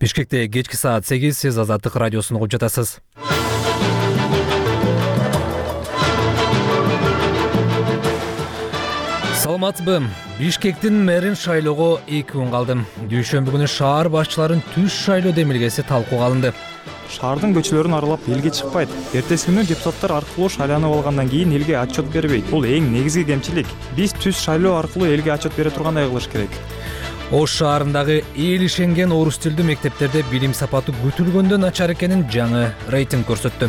Бишкекте кечки саат 8, сиз Азаттык радиосун угуп жатасыз. Саламатсызбы? Бишкектин мэрин шайлоого 2 күн калды. Дүйшөмбү күнү шаар башчыларын түз шайлоо демилгеси талкууга алынды. Шаардын көчөлөрүн аралап элге чыкпайт. Эртеси күнү депутаттар аркылуу шайланып алгандан кийин элге отчет бербейт. Бул эң негизги кемчилик. Биз түз шайлоо аркылуу элге отчет бере тургандай кылыш керек. Ош шаарындагы эл ишенген орус тилдүү мектептерде билим сапаты күтүлгөндөн начар экенин жаңы рейтинг көрсөттү.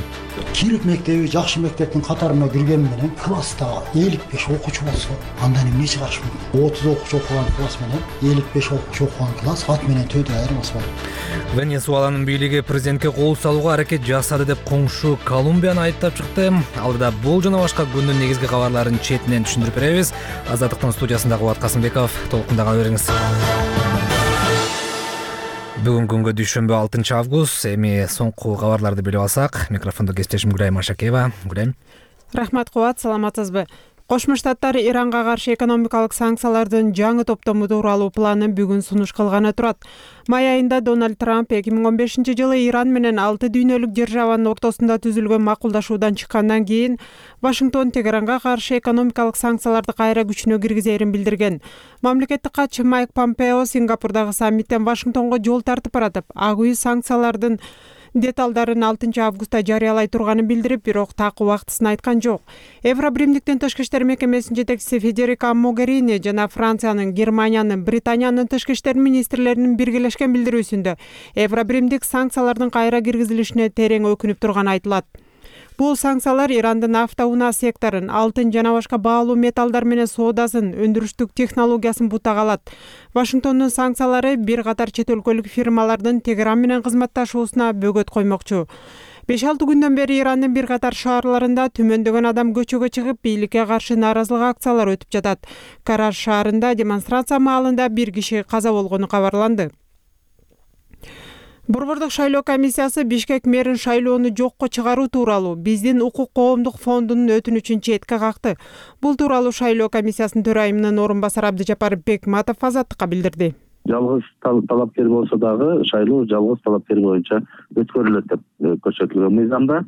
Кирик мектеби жакшы мектептин катарына кирген менен класста 55 окуучу болсо, андан эмне чыгыш мүмкүн? 30 окуучу окуган класс менен 55 окуучу окуган класс ат менен төдө айырмасы бар. Венесуэланын бийлиги президентке кол салууга аракет жасады деп коңшу Колумбияны айыптап чыкты. Алдыда бул жана башка күндүн негизги кабарларын четинен түшүндүрүп беребиз. Азаттыктын студиясында Кубат Касымбеков, толкундаган бериңиз. Бүгүн күнгө дүйшөмбү 6 август. Эми соңку кабарларды билип алсак, микрофондо кесиптешим Гүлайым Ашакеева. Гүлайым. Рахмат Кубат, саламатсызбы? Кошмо Штаттар Иранга каршы экономикалык санкциялардын жаңы топтому тууралуу планын бүгүн сунуш кылганы турат. Май айында Дональд Трамп 2015-жылы Иран менен 6 дүйнөлүк державанын ортосунда түзүлгөн макулдашуудан чыккандан кийин Вашингтон Тегеранга каршы экономикалык санкцияларды кайра күчүнө киргизерин билдирген. Мамлекеттик катчы Майк Помпео Сингапурдагы саммиттен Вашингтонго жол тартып баратып, ак үй санкциялардын деталдарын 6 августта жарыялай турганын билдирип, бирок так убактысын айткан жок. Евробримдиктин тышкы иштер мекемесинин жетекчиси Федерика Могерини жана Франциянын, Германиянын, Британиянын тышкы иштер министрлеринин биргелешкен билдирүүсүндө Евробримдик санкциялардын кайра киргизилишине терең өкүнүп турганы айтылат. Бул санкциялар Ирандын автоунаа секторун, алтын жана башка баалуу металлдар менен соодасын, өндүрүштүк технологиясын бутага алат. Вашингтондун санкциялары бир катар чет өлкөлүк фирмалардын Тегеран менен кызматташуусуна бөгөт коймокчу. 5-6 күндөн бери Ирандын бир катар шаарларында түмөндөгөн адам көчөгө чыгып, бийликке каршы нааразылык акциялары өтүп жатат. Караш шаарында демонстрация маалында бир киши каза болгону кабарланды. Борбордук шайлоо комиссиясы Бишкек мэрин шайлоону жокко чыгаруу тууралуу биздин укук коомдук фондунун өтүнүчүн четке какты. Бул тууралуу шайлоо комиссиясынын төрайымынын орун басары Абдыжапар Бекматов Азаттыкка билдирди. Жалгыз талапкер болсо дагы шайлоо жалгыз талапкер боюнча өткөрүлөт деп көрсөтүлгөн мыйзамда.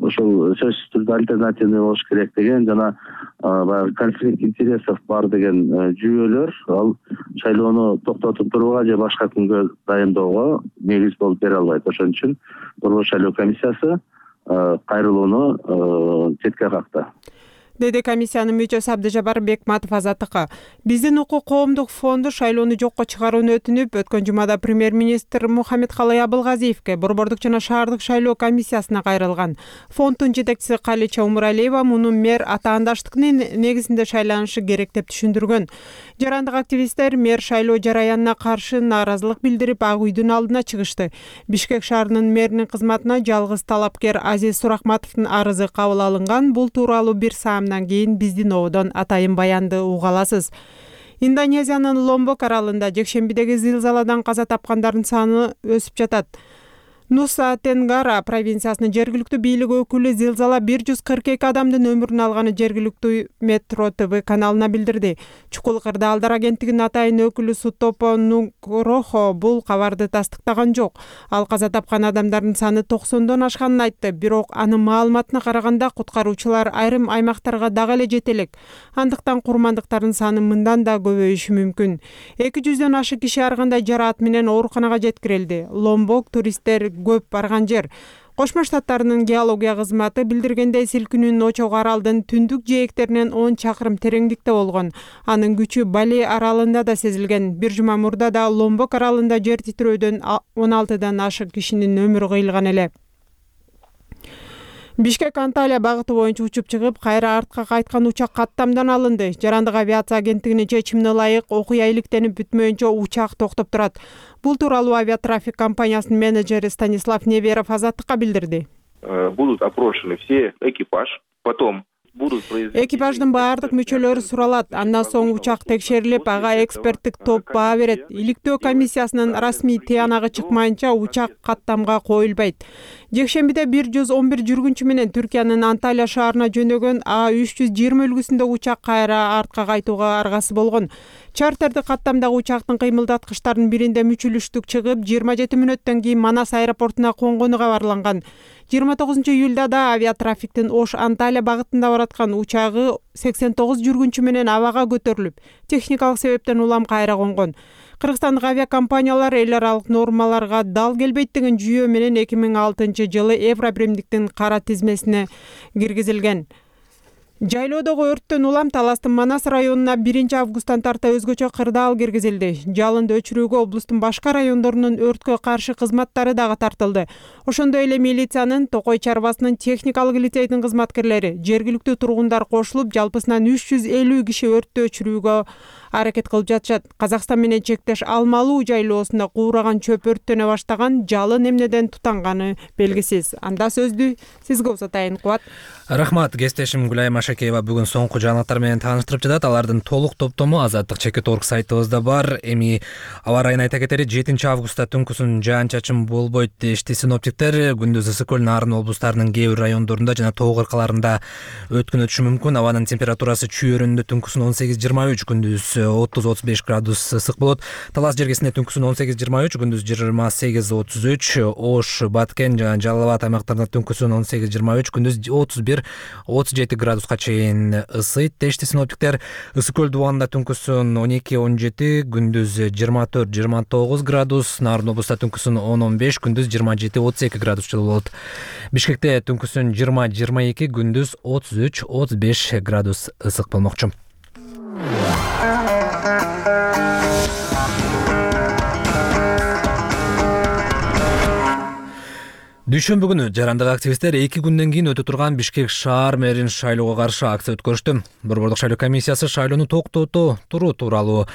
Ошол сөзсүз түрдө альтернативный болуш керек деген жана баягы конфликт интересов бар деген жүйөлөр ал шайлоону токтотуп турууга же башка күнгө дайындоого негиз болуп бере албайт. Ошон үчүн Борбор шайлоо комиссиясы кайрылууну четке какты. Деди комиссиянын мүчөсү Абдыжапар Бекматов Азаттыкка. Биздин укук коомдук фонду шайлоону жокко чыгарууну өтүнүп, өткөн жумада премьер-министр Мухаммедкалый Абылгазиевке борбордук жана шаардык шайлоо комиссиясына кайрылган. Фонддун жетекчиси Калича Умуралиева муну мэр атаандаштыктын негизинде шайланышы керек деп түшүндүргөн. Жарандык активисттер мэр шайлоо жараянына каршы нааразылык билдирип, ак үйдүн алдына чыгышты. Бишкек шаарынын мэринин кызматына жалгыз талапкер Азиз Сурахматовдун арызы кабыл алынган. Бул тууралуу бир саамдан кийин биздин ободон атайын баянды уга аласыз. Индонезиянын Ломбок аралында жекшембидеги зилзаладан каза тапкандардын саны өсүп жатат. Нуса Тенгара провинциясынын жергиликтүү бийлик өкүлү зилзала 142 адамдын өмүрүн алганы жергиликтүү Метро ТВ каналына билдирди. Чукул Кырдаалдар агенттигинин атайын өкүлү Сутопо Нугрохо бул кабарды тастыктаган жок. Ал каза тапкан адамдардын саны 90дон ашканын айтты, бирок анын маалыматына караганда куткаруучулар айрым аймактарга дагы эле жете элек. Андыктан курмандыктардын саны мындан да көбөйүшү мүмкүн. 200дөн ашык киши ар кандай жараат менен ооруканага жеткирилди. Ломбок туристтер көп барган жер. Кошмо Штаттарынын геология кызматы билдиргендей, силкинүүнүн очогу аралдын түндүк жээктеринен 10 чакырым тереңдикте болгон. Анын күчү Бали аралында да сезилген. Бир жума мурда да Ломбок аралында жер титирөөдөн 16дан ашык кишинин өмүрү кыйылган эле. Бишкек Анталия багыты боюнча учуп чыгып, кайра артка кайткан учак каттамдан алынды. Жарандык авиация агенттигинин чечимине ылайык окуя иликтенип бүтмөйүнчө учак токтоп турат. Бул тууралуу авиатрафик компаниясынын менеджери Станислав Неверов Азаттыкка билдирди. Будут опрошены все экипаж, потом Экипаждын баардык мүчөлөрү суралат. Андан соң учак текшерилип, ага эксперттик топ баа берет. Иликтөө комиссиясынын расмий тыянагы чыкмайынча учак каттамга коюлбайт. Жекшембиде 111 жүргүнчү менен Түркиянын Анталия шаарына жөнөгөн А320 үлгүсүндө учак кайра артка кайтууга аргасы болгон. Чартердик каттамдагы учактын кыймылдаткычтарынын биринде мүчүлүштүк чыгып 27 мүнөттөн кийин Манас аэропортуна конгону кабарланган. 29 июлда да авиатрафиктин Ош-Анталия багытында бараткан учагы 89 жүргүнчү менен абага көтөрүлүп, техникалык себептен улам кайра конгон. Кыргызстандык авиакомпаниялар эл аралык нормаларга дал келбейт деген жүйө менен 2006 жылы Евробиримдиктин кара тизмесине киргизилген. Жайлоодогу өрттөн улам Таластын Манас районуна 1 августтан тарта өзгөчө кырдаал киргизилди. Жалынды өчүрүүгө облустун башка райондорунун өрткө каршы кызматтары дагы тартылды. Ошондой эле милициянын, Токой чарбасынын техникалык лицейдин кызматкерлери, жергиликтүү тургундар кошулуп, жалпысынан 350 киши өрттү өчүрүүгө аракет кылып жатышат. Казакстан менен чектеш Алмалуу жайлоосунда куураган чөп өрттөнө баштаган, жалын эмнеден тутанганы белгисиз. Анда сөздү сизге узатайын, Кубат. Рахмат, кесиптешим Гүлайым Ашакеева бүгүн соңку жаңылыктар менен тааныштырып жатат. Алардын толук топтому Азаттык Чекит.org сайтыбызда бар. Эми аба райын айта кетери 7 августта түнкүсүн жаан-чачын болбойт дешти синоптиктер. Күндүз ысык көл, Нарын облустарынын кээ бир райондорунда жана тоо кыркаларында өткүн өтүшү мүмкүн. Абанын температурасы чүйөрүндө түнкүсүн 18-23, күндүз 30-35 градус ысык болот. Талас жергесинде түнкүсүн 18-23, күндүз 28-33, Ош, Баткен жана Жалал Абад аймактарында түнкүсүн 18-23, күндүз 31-37 градуска чейин ысыйт дешти синоптиктер. Ысык көл дубанында түнкүсүн 12-17, күндүз 24-29 градус, Нарын облустта түнкүсүн 10-15, күндүз 27-32 градус жылы болот. Бишкекте түнкүсүн 20-22, күндүз 33-35 градус ысык болмокчу. Дүйшөмбү күнү жарандык активисттер 2 күндөн кийин өтө турган Бишкек шаар мэрин шайлоого каршы акция өткөрүштү. Борбордук шайлоо комиссиясы шайлоону токтото туруу тууралуу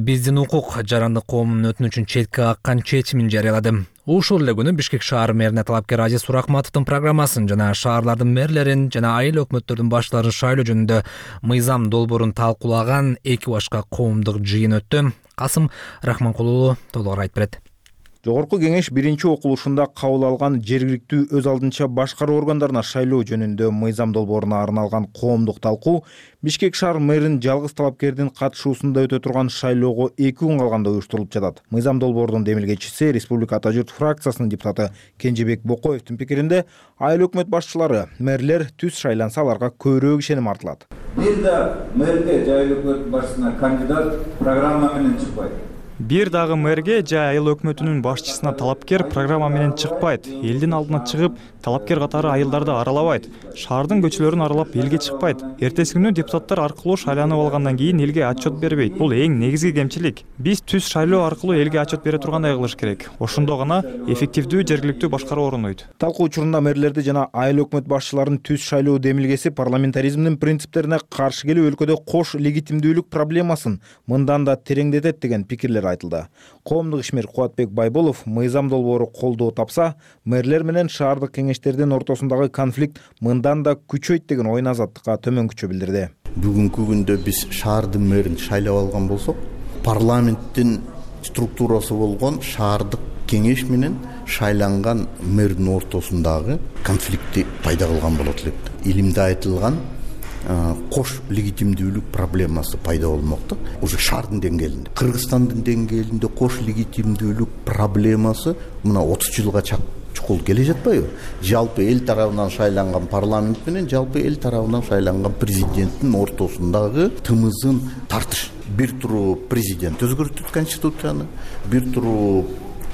биздин укук жарандык коомунун өтүнүчүн четке каккан чечимин жарыялады. Ушул эле күнү Бишкек шаар мэрине талапкер Азиз Суракматовдун программасын жана шаарлардын мэрлерин жана айыл өкмөттөрдүн баштыларын шайлоо жөнүндө мыйзам долбоорун талкуулаган 2 башка коомдук жыйын өттү. Касым Рахманкулуу толугураак айтып берет. Жогорку кеңеш биринчи окулушунда кабыл алган жергиликтүү өз алдынча башкаруу органдарына шайлоо жөнүндө мыйзам долбооруна арналган коомдук талкуу Бишкек шаар мэрин жалгыз талапкердин катышуусунда өтө турган шайлоого 2 күн калганда уюштурулуп жатат. Мыйзам долбоордун демилгечиси Республика Ата журт фракциясынын депутаты Кенжебек Бокоевдин пикиринде айыл өкмөт башчылары, мэрлер түз шайланса аларга көбүрөөк ишеним артылат. Бир да мэрге же айыл өкмөт башчысына кандидат программа менен чыкпайт. Бир дагы мэрге же айыл өкмөтүнүн башчысына талапкер программа менен чыкпайт. Элдин алдына чыгып, талапкер катары айылдарды аралабайт. Шаардын көчөлөрүн аралап элге чыкпайт. Эртеси күнү депутаттар аркылуу шайланып алгандан кийин элге отчет бербейт. Бул эң негизги кемчилик. Биз түз шайлоо аркылуу элге отчет бере тургандай кылыш керек. Ошондо гана эффективдүү жергиликтүү башкаруу орнойт. Талкуу учурунда мэрлерди жана айыл өкмөт башчыларын түз шайлоо демилгеси парламентаризмдин принциптерине каршы келип өлкөдө кош легитимдүүлүк проблемасын мындан да тереңдетет деген пикирлер айтылды. Коомдук ишмер Кубатбек Байболов мыйзам долбоору колдоо тапса, мэрлер менен шаардык кеңештердин ортосундагы конфликт мындан да күчөйт деген оюн Азаттыкка төмөнкүчө билдирди. Бүгүнкү күндө биз шаардын мэрин шайлап алган болсок, парламенттин структурасы болгон шаардык кеңеш менен шайланган мэрдин ортосундагы конфликтти пайда кылган болот элек. Илимде айтылган кош легитимдүүлүк проблемасы пайда болмокто. Уже шаардын деңгээлинде, Кыргызстандын деңгээлинде кош легитимдүүлүк проблемасы мына 30 жылга чукул келе жатпайбы? Жалпы эл тарабынан шайланган парламент менен жалпы эл тарабынан шайланган президенттин ортосундагы тымызын тартыш. Бир туру президент өзгөртөт конституцияны, бир туру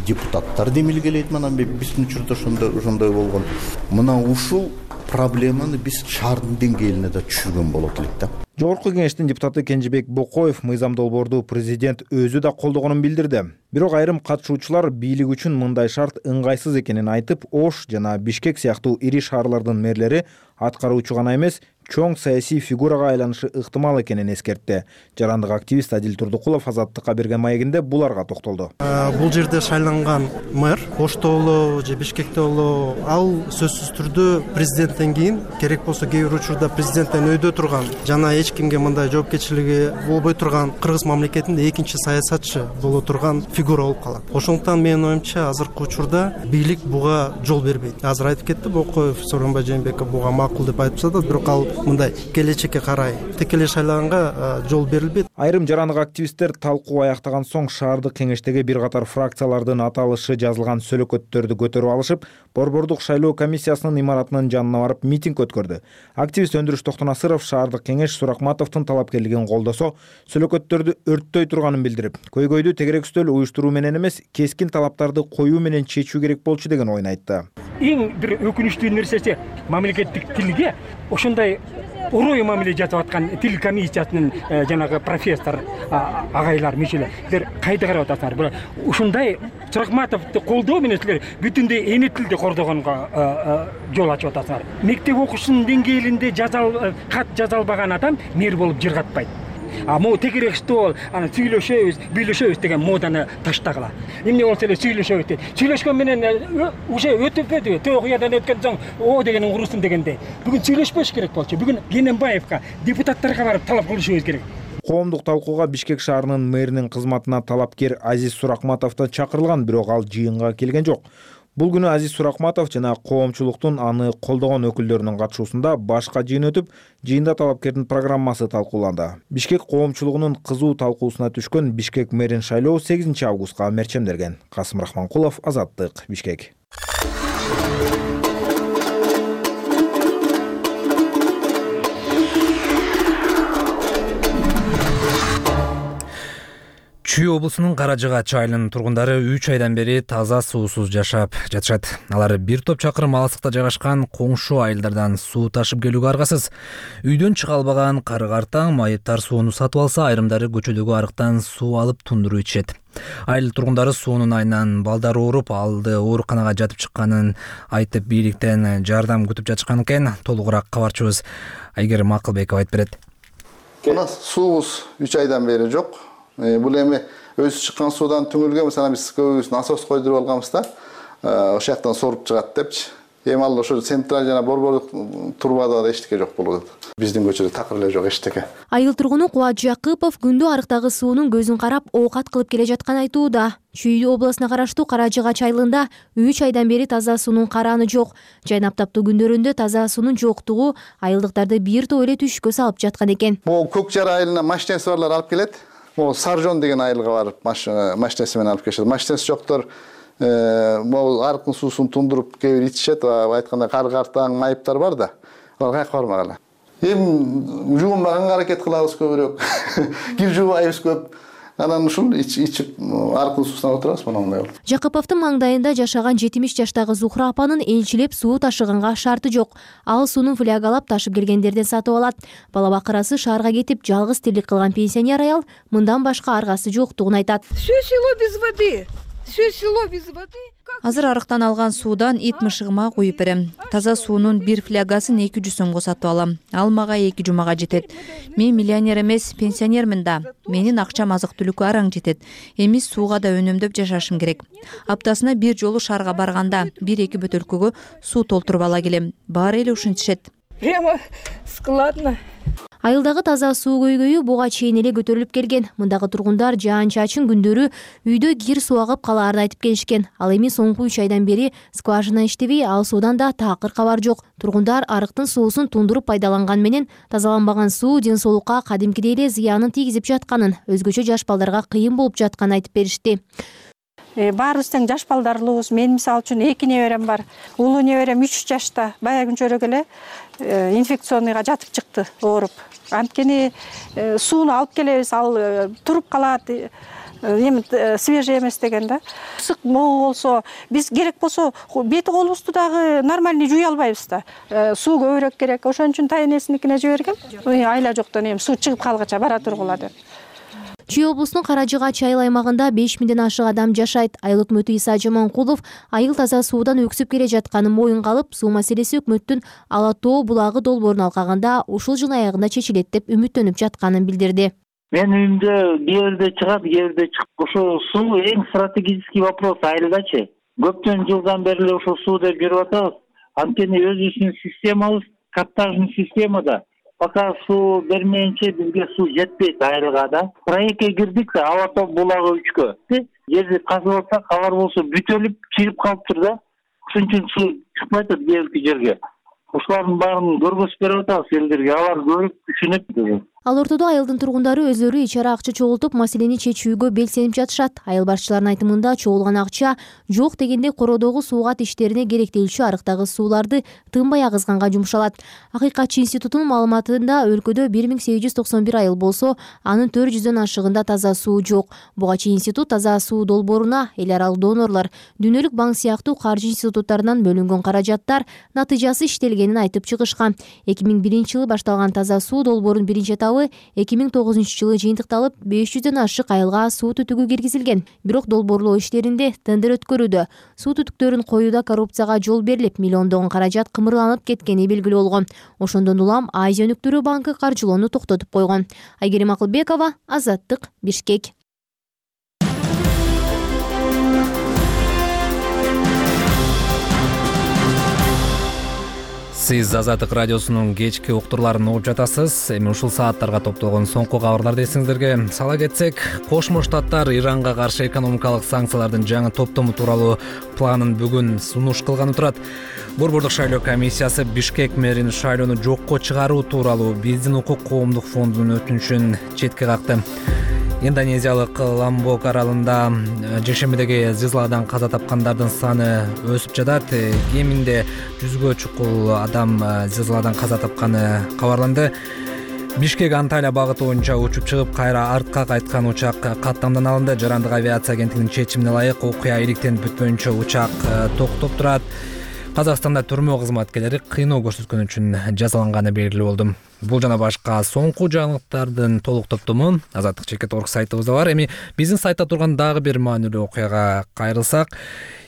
депутаттар демилгелейт. Мына биздин учурда ошондой болгон. Мына ушул проблеманы биз шаардын деңгээлине да түшүргөн болот элек да. Жогорку кеңештин депутаты Кенжебек Бокоев мыйзам долбоорду президент өзү да колдогонун билдирди. Бирок айрым катышуучулар бийлик үчүн мындай шарт ыңгайсыз экенин айтып, Ош жана Бишкек сыяктуу ири шаарлардын мэрлери аткаруучу гана эмес, чоң саясий фигурага айланышы ыктымал экенин эскертти. Жарандык активист Адил Турдукулов Азаттыкка берген маегинде буларга токтолду. Бул жерде шайланган мэр Ошто болобу же Бишкекте болобу, ал сөзсүз түрдө президенттен кийин, керек болсо кээ бир учурда президенттен өйдө турган жана эч кимге мындай жоопкерчилиги болбой турган кыргыз мамлекетинде экинчи саясатчы боло турган фигура болуп калат. Ошондуктан менин оюмча азыркы учурда бийлик буга жол бербейт. Азыр айтып кетти Бокоев, Сооронбай Жээнбеков буга макул деп айтып жатат, бирок ал мындай келечекке карай текелеш шайланганга жол берилбейт. Айрым жарандык активисттер талкуу аяктаган соң шаардык кеңештеги бир катар фракциялардын аталышы жазылган сүлөкөттөрдү көтөрүп алышып, Борбордук шайлоо комиссиясынын имаратынын жанына барып митинг өткөрдү. Активист Өндүрүш Токтонасыров шаардык кеңеш Суракматовдун талапкерлигин колдосо, сүлөкөттөрдү өрттөй турганын билдирип, көйгөйдү тегерек үстөл уюштуруу менен эмес, кескин талаптарды коюу менен чечүү керек болчу деген ойун айтты. Эң бир өкүнүчтүү нерсеси мамлекеттик тилге ошондой урой мамиле жасап аткан тил комиссиясынын жанагы профессор агайлар мүчөлөр кайда карап атасыңар? Бирок ушундай Суракматовду колдоо менен силер бүтүндөй эне тилди кордогонго жол ачып атасыңар. Мектеп окуушунун деңгээлинде кат жаза албаган адам мэр болуп жыргатпайт. Могу тегерек стол, аны сүйлөшөбүз, бүйлөшөбүз деген моданы таштагыла. Эмне болсо эле сүйлөшөбүз дейт. Сүйлөшкөн менен уже өтүппөдү. Тоогуядан өткөн соң о дегенин урусун дегендей. Бүгүн сүйлөшпөш керек болчу. Бүгүн Кененбаевка, депутаттарга барып талап кылышыбыз керек. Коомдук талкууга Бишкек шаарынын мэринин кызматына талапкер Азиз Суракматов да чакырылган, бирок ал жыйынга келген жок. Бул күнү Азиз Суракматов жана коомчулуктун аны колдогон өкүлдөрүнүн катышуусунда башка жыйын өтүп, жыйында талапкердин программасы талкууланды. Бишкек коомчулугунун кызуу талкуусуна түшкөн Бишкек мэрин шайлоо 8 августка мерчемделген. Касым Рахманкулов, Азаттык, Бишкек. Чүй облусунун Каражыгач айылынын тургундары 3 айдан бери таза суусуз жашап жатышат. Алар бир топ чакырым алыстыкта жайгашкан коңшу айылдардан суу ташып келүүгө аргасыз. Үйдөн чыга албаган кары-картаң майыптар сууну сатып алса, айрымдары көчөдөгү арыктан суу алып тундуруп ичет. Айыл тургундары суунун айынан балдары ооруп, алды ооруканага жатып чыкканын айтып, бийликтен жардам күтүп жатышкан экен. Толугураак кабарчыбыз Айгерим Акылбеков айтып берет. Мына суубуз 3 айдан бери жок. Бул эми өзү чыккан суудан түңүлгөн, мисалы биз көбүбүз насос койдуруп алганбыз да. Ошол жактан соруп чыгат депчи. Эми ал ошо централь жана борбордук трубада да эчтеке жок болуп атат. Биздин көчөдө такыр эле жок эчтеке. Айыл тургуну Кубат Жакыпов күндү арыктагы суунун көзүн карап оокат кылып келе жаткан айтууда. Чүй обласына караштуу Каражыгач айылында 3 айдан бери таза суунун караны жок. Жайнап таптуу күндөрүндө таза суунун жоктугу айылдыктарды бир топ эле түшкө салып жаткан экен. Могу Көк Жар айылына машинеси барлар алып келет. Могу Саржон деген айылга барып машинеси менен алып келишет. Машинеси жоктор могу арыктын суусун тундуруп кээ бир ичишет. Айтканда кары-картаң, майыптар бар да. Алар кайка бармагыла. Эми жуунбаганга аракет кылабыз көбүрөөк. Кир жуубайбыз көп. Анан ушул ичип аркылуу суусуна отурабыз мондай болуп. Жакыповдун маңдайында жашаган 70 жаштагы Зухра апанын элчилеп суу ташыганга шарты жок. Ал суунун флягалап ташып келгендерден сатып алат. Бала бакырасы шаарга кетип жалгыз тирлик кылган пенсионер аял мындан башка аргасы жоктугун айтат. Все село без воды. Все село без воды. Азыр арыктан алган суудан ит мышыгыма куюп берем. Таза суунун бир флягасын 200 сомго сатып алам. Ал мага 2 жумага жетет. Мен миллионер эмес, пенсионермин да. Менин акчам азык-түлүккө араң жетет. Эми сууга да өнөмдөп жашашым керек. Аптасына бир жолу шаарга барганда 1-2 бөтөлкөгө суу толтуруп ала келем. Баары эле ушинтишет. Прямо складно. Айылдагы таза суу көйгөйү буга чейин эле көтөрүлүп келген. Мындагы тургундар жаан-чачын күндөрү үйдө кир суу агып калаарын айтып келишкен. Ал эми соңку 3 айдан бери скважина иштебей, ал суудан да такыр кабар жок. Тургундар арыктын суусун тундуруп пайдаланган менен тазаланбаган суу ден соолукка кадимкидей эле зыянын тийгизип жатканын, өзгөчө жаш балдарга кыйын болуп жатканын айтып беришти. Баарыбыз тең жаш балдарлуубуз. Мен мисалы үчүн 2 неберем бар. Улуу неберем 3 жашта. Бая күнчөрөк эле инфекционныйга жатып чыкты, ооруп. Анткени сууну алып келебиз, ал туруп калат. Эми свежий эмес деген да. Ысык могу болсо, биз керек болсо бети колубузду дагы нормальный жуй албайбыз да. Суу көбүрөөк керек. Ошон үчүн тайнесиникине жибергем. Айла жоктон эми суу чыгып калгыча бара тургула деп. Чүй облусунун Каражыгач айыл аймагында 5000ден ашык адам жашайт. Айыл өкмөтү Иса Жаманкулов айыл таза суудан өксүп келе жатканын моюнга алып, суу маселеси өкмөттүн Ала Тоо булагы долбоорун алкаганда ушул жыл аягында чечилет деп үмүттөнүп жатканын билдирди. Мен үйүмдө кээ чыгат, кээ чыгып. Ошол суу эң стратегический вопрос айылдачы. Көптөн жылдан бери ошол суу деп жүрүп атабыз. Анткени өзүбүздүн системабыз каптажный системада. Пока суу бермейинче бизге суу жетпейт айылга да. Проектке кирдик да, Ала Тоо булагы 3кө. Жерди казып атсак, алар болсо бүтөлүп, чыгып калыптыр да. Ошон үчүн суу чыкпай атат кээ жерге. ушулардын баарын көргөзүп берип атабыз элдерге, алар көрүп түшүнүп. Ал ортодо айылдын тургундары өзлөрү ичара акча чогултуп маселени чечүүгө белсенип жатышат. Айыл башчыларынын айтымында чогулган акча жок дегенде кородогу суугат иштерине керектелүүчү арыктагы сууларды тынбай агызганга жумшалат. Акыйкатчы институтунун маалыматында өлкөдө 1891 айыл болсо, анын 400дөн ашыгында таза суу жок. Буга чейин институт таза суу долбооруна эл аралык донорлор, Дүйнөлүк банк сыяктуу каржы институттарынан бөлүнгөн каражаттар натыйжасы иштелгенин айтып чыгышкан. 2001-жылы башталган таза суу долбоорунун биринчи этабы 2009-жылы жыйынтыкталып 500дөн ашык айылга суу түтүгү киргизилген. Бирок долбоорлоо иштеринде тендер өткөрүүдө суу түтүктөрүн коюуда коррупцияга жол берилип, миллиондогон каражат кымырланып кеткени белгилүү болгон. Ошондон улам Азия өнүктүрүү банкы каржылоону токтотуп койгон. Айгерим Акылбекова, Азаттык, Бишкек. Сиз Азаттык радиосунун кечки уктурларын угуп жатасыз. Эми ушул сааттарга топтолгон соңку кабарларды эсиңиздерге сала кетсек, Кошмо Штаттар Иранга каршы экономикалык санкциялардын жаңы топтому тууралуу планын бүгүн сунуш кылганы турат. Борбордук шайлоо комиссиясы Бишкек мэрин шайлоону жокко чыгаруу тууралуу Биздин укук коомдук фондунун өтүнүчүн четке какты. Индонезиялык Ламбок аралында жекшембидеги зылзаладан каза тапкандардын саны өсүп жатат. Кеминде 100гө чукул адам зылзаладан каза тапканы кабарланды. Бишкек Анталия багыты боюнча учуп чыгып, кайра артка кайткан учак каттамдан алынды. Жарандык авиация агенттигинин чечимине ылайык окуя иликтенип бүтпөйүнчө учак токтоп турат. Казакстанда түрмө кызматкерлери кыйноо көрсөткөн үчүн жазаланганы белгилүү болду. Бул жана башка соңку жаңылыктардын толук топтому Азаттык Чекет.org сайтыбызда бар. Эми биздин сайтта турган дагы бир маанилүү окуяга кайрылсак,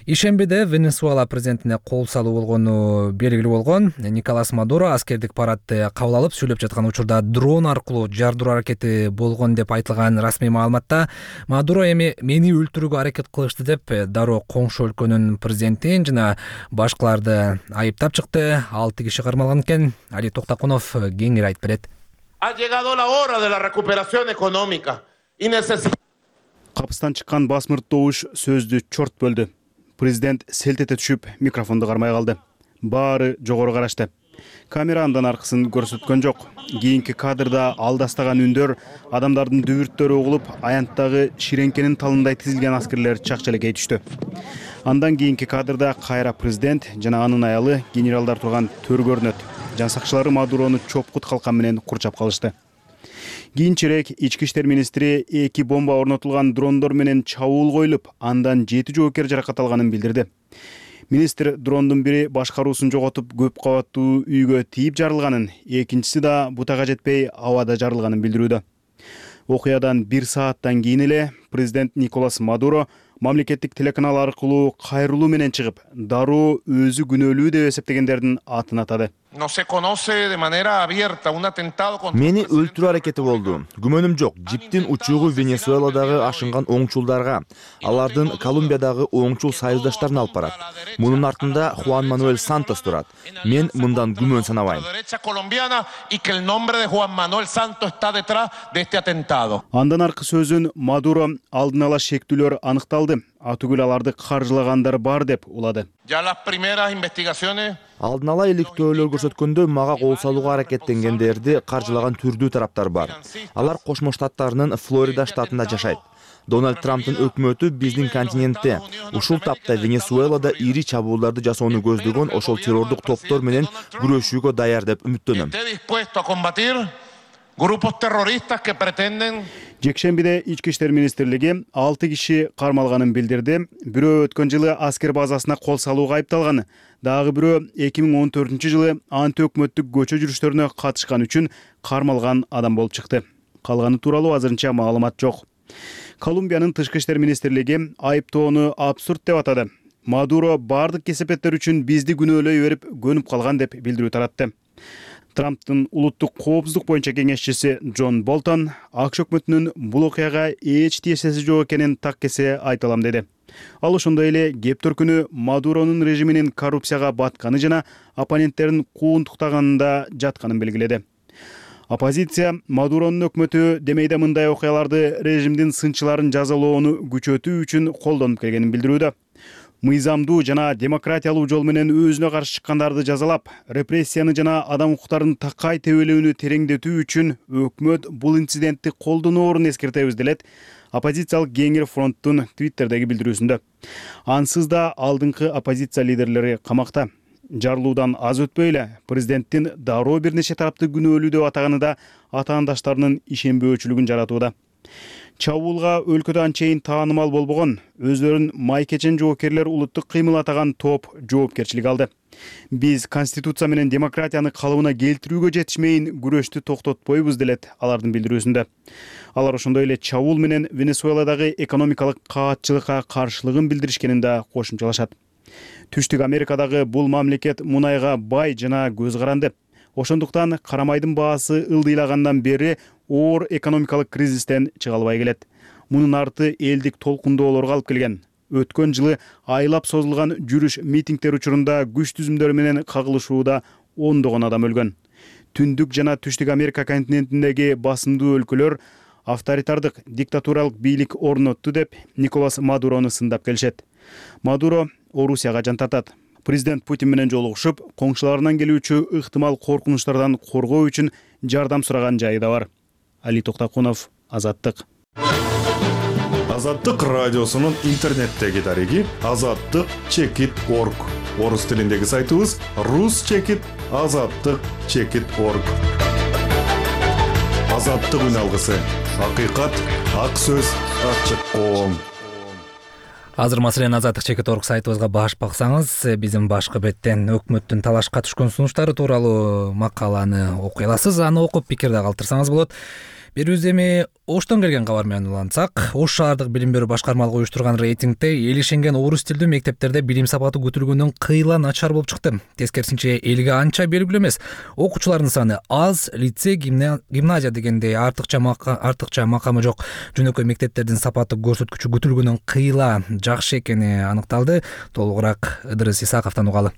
ишембиде Венесуэла президентине кол салуу болгону белгилүү болгон. Николас Мадуро аскердик парадты кабыл алып сүйлөп жаткан учурда дрон аркылуу жардыруу аракети болгон деп айтылган расмий маалыматта Мадуро эми мени өлтүрүүгө аракет кылышты деп дароо коңшу өлкөнүн президентин жана башкаларды айыптап чыкты. 6 киши кармалган экен. Али Токтакунов кеңири айтып берет. Капыстан чыккан басмырт добуш сөздү чорт бөлдү. Президент селт эте түшүп, микрофонду кармай калды. Баары жогору карашты. Камера андан аркысын көрсөткөн жок. Кийинки кадрда алдастаган үндөр, адамдардын дүбүрттөрү угулуп, аянттагы ширеңкенин талындай тизилген аскерлер чакчелекей түштү. Андан кийинки кадрда кайра президент жана анын аялы генералдар турган төр көрүнөт. Жан сакчылары Мадурону чопкут калкан менен курчап калышты. Кийинчерээк ички иштер министри 2 бомба орнотулган дрондор менен чабуул коюлуп, андан 7 жоокер жаракат алганын билдирди. Министр дрондун бири башкаруусун жоготуп, көп кабаттуу үйгө тийип жарылганын, экинчиси да бутага жетпей абада жарылганын билдирүүдө. Окуядан 1 сааттан кийин эле президент Николас Мадуро мамлекеттик телеканал аркылуу кайрылуу менен чыгып, дароо өзү күнөөлүү деп эсептегендердин атын атады. Мени өлтүрүү аракети болду. Күмөнүм жок. Жиптин учуугу Венесуэладагы ашынган оңчулдарга, алардын Колумбиядагы оңчул союздаштарына алып барат. Мунун артында Хуан Мануэль Сантос турат. Мен мындан күмөн санабайм. Андан аркы сөзүн Мадуро алдын ала шектүүлөр аныкталды. Атүгүл аларды каржылагандар бар деп улады. Алдын ала иликтөөлөр көрсөткөндө мага кол салууга аракеттенгендерди каржылаган түрдүү тараптар бар. Алар Кошмо Штаттарынын Флорида штатында жашайт. Дональд Трамптын өкмөтү биздин континентте, ушул тапта Венесуэлада ири чабуулдарды жасоону көздөгөн ошол террордук топтор менен күрөшүүгө даяр деп үмүттөнөм. Жекшембиде ички иштер министрлиги 6 киши кармалганын билдирди. Бирөө өткөн жылы аскер базасына кол салууга айыпталган. Дагы бирөө 2014-жылы антиөкмөттүк көчө жүрүштөрүнө катышкан үчүн кармалган адам болуп чыкты. Калганы тууралуу азырынча маалымат жок. Колумбиянын тышкы иштер министрлиги айыптоону абсурд деп атады. Мадуро бардык кесепеттер үчүн бизди күнөөлөй берип көнүп калган деп билдирүү таратты. Трамптын улуттук коопсуздук боюнча кеңешчиси Джон Болтон АКШ өкмөтүнүн бул окуяга эч тиешеси жок экенин так кесе айта алам деди. Ал ошондой эле кеп төркүнү Мадуронун режиминин коррупцияга батканы жана оппоненттерин кууntуктаганында да жатканын белгиледи. Оппозиция Мадуронун өкмөтү демейде мындай окуяларды режимдин сынчыларын жазалоону күчөтүү үчүн колдонуп келгенин билдирүүдө. мыйзамдуу жана демократиялуу жол менен өзүнө каршы чыккандарды жазалап, репрессияны жана адам укуктарын такай тебелөөнү тереңдетүү үчүн өкмөт бул инцидентти колдоноорун эскертебиз делет оппозициялык Кеңир фронттун Твиттердеги билдирүүсүндө. Ансыз да алдыңкы оппозиция лидерлери камакта. Жарылуудан аз өтпөй эле президенттин дароо бир нече тарапты күнөөлүү деп атаганы да атаандаштарынын ишенбөөчүлүгүн жаратууда. Чабуулга өлкөдө анчейин таанымал болбогон, өзлөрүн майкечен жоокерлер улуттук кыймыл атаган топ жоопкерчилик алды. Биз конституция менен демократияны калыбына келтирүүгө жетишмейин күрөштү токтотпойбуз делет алардын билдирүүсүндө. Алар ошондой эле чабуул менен Венесуэладагы экономикалык каатчылыкка каршылыгын билдиришкенин да кошумчалашат. Түштүк Америкадагы бул мамлекет мунайга бай жана көз каранды. Ошондуктан карамайдын баасы ылдыйлагандан бери оор экономикалык кризистен чыга албай келет. Мунун арты элдик толкундоолорго алып келген. Өткөн жылы айлап созулган жүрүш митингдер учурунда күч түзүмдөрү менен кагылышууда ондогон адам өлгөн. Түндүк жана Түштүк Америка континентиндеги басымдуу өлкөлөр авторитардык диктатуралык бийлик орнотту деп Николас Мадурону сындап келишет. Мадуро Орусияга жан тартат. Президент Путин менен жолугушуп, коңшуларынан келүүчү ыктымал коркунучтардан коргоо үчүн жардам сураган жайы да бар. Али Токтакунов, Азаттык. Азаттык радиосунун интернеттеги дареги azattyk.org. Орус тилиндеги сайтыбыз rus-azattyk.org. Азаттык үн алгысы. Акыйкат, ак сөз, ачык коом. Азыр маселен azattyk.org сайтыбызга баш баксаңыз, биздин башкы беттен өкмөттүн талашка түшкөн сунуштары тууралуу макаланы окуй аласыз. Аны окуп пикир да калтырсаңыз болот. Берүүбүз эми Оштон келген кабар менен улантсак, Ош шаардык билим берүү башкармалыгы уюштурган рейтингде эл ишенген орус тилдүү мектептерде билим сапаты күтүлгөндөн кыйла начар болуп чыкты. Тескерисинче элге анча белгилүү эмес. Окуучулардын саны аз, лицей, гимназия дегендей артыкча макамы жок жөнөкөй мектептердин сапаты көрсөткүчү күтүлгөндөн кыйла жакшы экени аныкталды. Толугураак Ыдырыс Исаковдон угалы.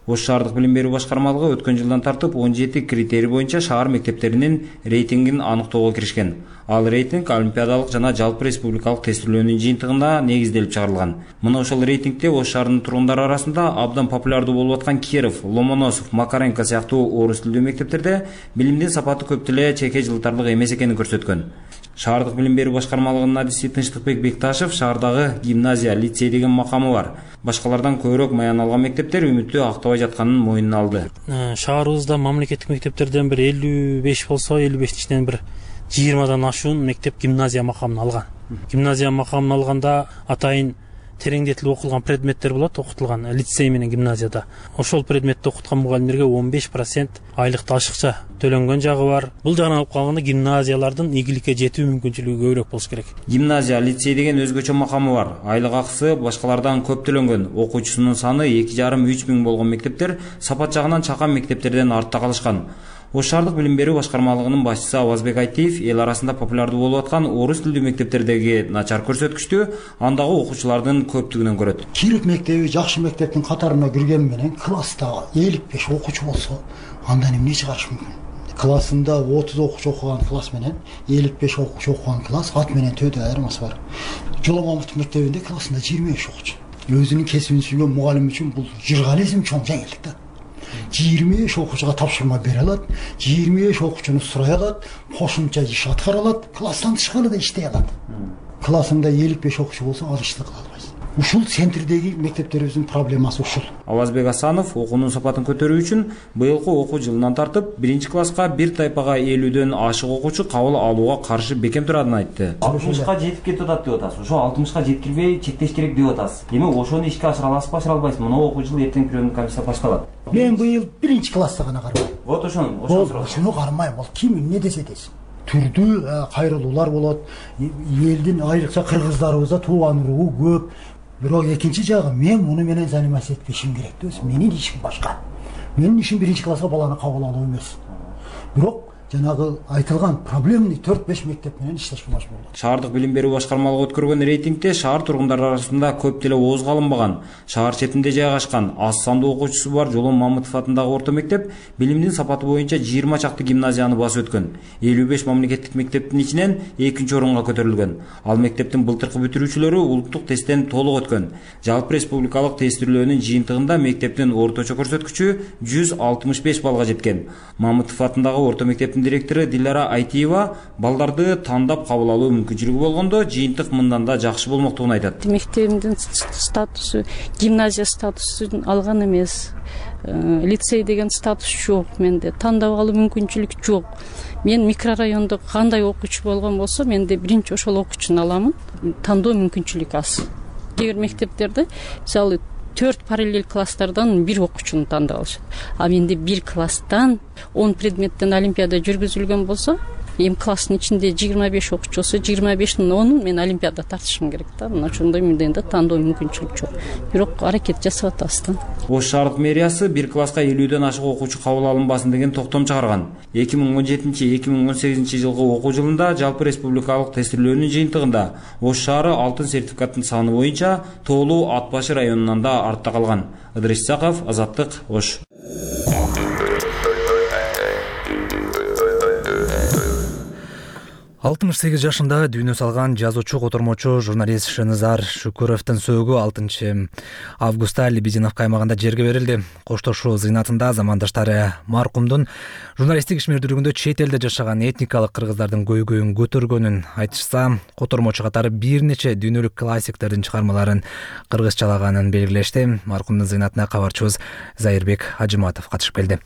Ош шаардык билим берүү башкармалыгы өткөн жылдан тартып 17 критерий боюнча шаар мектептеринин рейтингин аныктоого киришкен. Ал рейтинг олимпиадалык жана жалпы республикалык тестилөөнүн жыйынтыгына негизделип чыгарылган. Мына ошол рейтингде Ош шаарынын тургундары арасында абдан популярдуу болуп аткан Киров, Ломоносов, Макаренко сыяктуу орус тилдүү мектептерде билимдин сапаты көп деле чеке жылтарлык эмес экенин көрсөткөн. Шаардык билим берүү башкармалыгынын адиси Тынчтыкбек Бекташев шаардагы гимназия, лицей деген макамы бар. Башкалардан көбүрөөк маян алган мектептер үмүттү актабай жатканын моюнуна алды. Шаарыбызда мамлекеттик мектептерден бир 55 болсо, 55-тин ичинен бир 20дан ашуун мектеп гимназия макамын алган. Гимназия макамын алганда атайын тереңдетилип окулган предметтер болот, окутулган лицей менен гимназияда. Ошол предметти окуткан мугалимдерге 15% айлыкты ашыкча төлөнгөн жагы бар. Бул жагынан алып калганда гимназиялардын ийгиликке жетүү мүмкүнчүлүгү көбүрөөк болуш керек. Гимназия, лицей деген өзгөчө макамы бар. Айлык акысы башкалардан көп төлөнгөн. Окуучусунун саны 2,5-3 миң болгон мектептер сапат жагынан чакан мектептерден артта калышкан. Ош шаардык билим берүү башкармалыгынын башчысы Авазбек Айтиев эл арасында популярдуу болуп аткан орус тилдүү мектептердеги начар көрсөткүчтү андагы окуучулардын көптүгүнөн көрөт. Киров мектеби жакшы мектептин катарына кирген менен класста 55 окуучу болсо, андан эмне чыгарыш мүмкүн? Классында 30 окуучу окуган класс менен 55 окуучу окуган класс ат менен төдө айырмасы бар. Жоломамов мектебинде классында 25 окуучу. Өзүнүн кесибин сүйгөн мугалим үчүн бул жыргализм чоң жеңилдик да. 25 окуучуга тапшырма бере алат, 25 окуучуну сурай алат, кошумча иш аткара алат, класстан тышкары да иштей алат. Классында 55 окуучу болсо, ал ишти кыла албайсың. Ушул центрдеги мектептерибиздин проблемасы ушул. Авазбек Асанов окуунун сапатын көтөрүү үчүн быйылкы окуу жылынан тартып 1-класска бир тайпага 50дөн ашык окуучу кабыл алууга каршы бекем турарын айтты. 60ка жетип кетип атат деп атасыз. Ошо 60ка жеткирбей чектеш керек деп атасыз. Эми ошону ишке ашыра аласызбы, ашыра албайсызбы? Мына окуу жыл эртең приемный комиссия башталат. Мен быйыл 1-класста гана кармайм. Вот ошону кармайм. Ал ким эмне десе десин. Түрдүү кайрылуулар болот. Элдин айрыкча кыргыздарыбызда тууган уруу көп. Бирок экинчи жагы мен муну менен заниматься этпешим керек да. Менин ишим башка. Менин ишим 1-класска баланы кабыл алуу эмес. Бирок жанагы айтылган проблемный 4-5 мектеп менен иштешке машмул болот. Шаардык билим берүү башкармалыгы өткөргөн рейтингде шаар тургундары арасында көп деле оозго алынбаган, шаар четинде жайгашкан, аз сандуу окуучусу бар Жолон Мамытов атындагы орто мектеп билимдин сапаты боюнча 20 чакты гимназияны басып өткөн. 55 мамлекеттик мектептин ичинен 2-орунга көтөрүлгөн. Ал мектептин былтыркы бүтүрүүчүлөрү улуттук тесттен толук өткөн. Жалпы республикалык тестирөөнүн жыйынтыгында мектептин орточо көрсөткүчү 165 балга жеткен. Мамытов атындагы орто мектептин директору Дилара Айтиева балдарды тандап кабыл алуу мүмкүнчүлүгү болгондо жыйынтык мындан да жакшы болмоктугун айтат. Мектебимдин статусу гимназия статусун алган эмес. Лицей деген статус жок менде. Тандап алуу мүмкүнчүлүк жок. Мен микрорайондо кандай окуучу болгон болсо, менде биринчи ошол окуучуну аламын. Тандоо мүмкүнчүлүк аз. Кээ бир мектептерде мисалы 4 параллель класстардан бир окуучуну тандап алышат. А менде бир класстан 10 предметтен олимпиада жүргүзүлгөн болсо, эми класстын ичинде 25 окуучу болсо, 25-тин 10-ун мен олимпиада тартышым керек да. Мына ошондой менден да тандоо мүмкүнчүлүк жок. Бирок аракет жасап атабыз да. Ош шаардык мэриясы бир класска 50ден ашык окуучу кабыл алынбасын деген токтом чыгарган. 2017-2018 жылкы окуу жылында жалпы республикалык тестирөөнүн жыйынтыгында Ош шаары алтын сертификаттын саны боюнча Тоолуу Ат башы районунан да артта калган. Ыдырыс Исаков, Азаттык, Ош. 68 жашында дүйнө салган жазуучу, котормочу, журналист Шеназар Шукуровдун сөөгү 6 августта Лебединовка аймагында жерге берилди. Коштошуу зыйнатында замандаштары маркумдун журналисттик ишмердүүлүгүндө чет элде жашаган этникалык кыргыздардын көйгөйүн көтөргөнүн айтышса, котормочу катары бир нече дүйнөлүк классиктердин чыгармаларын кыргызчалаганын белгилешти. Маркумдун зыйнатына кабарчыбыз Зайырбек Ажыматов катышып келди.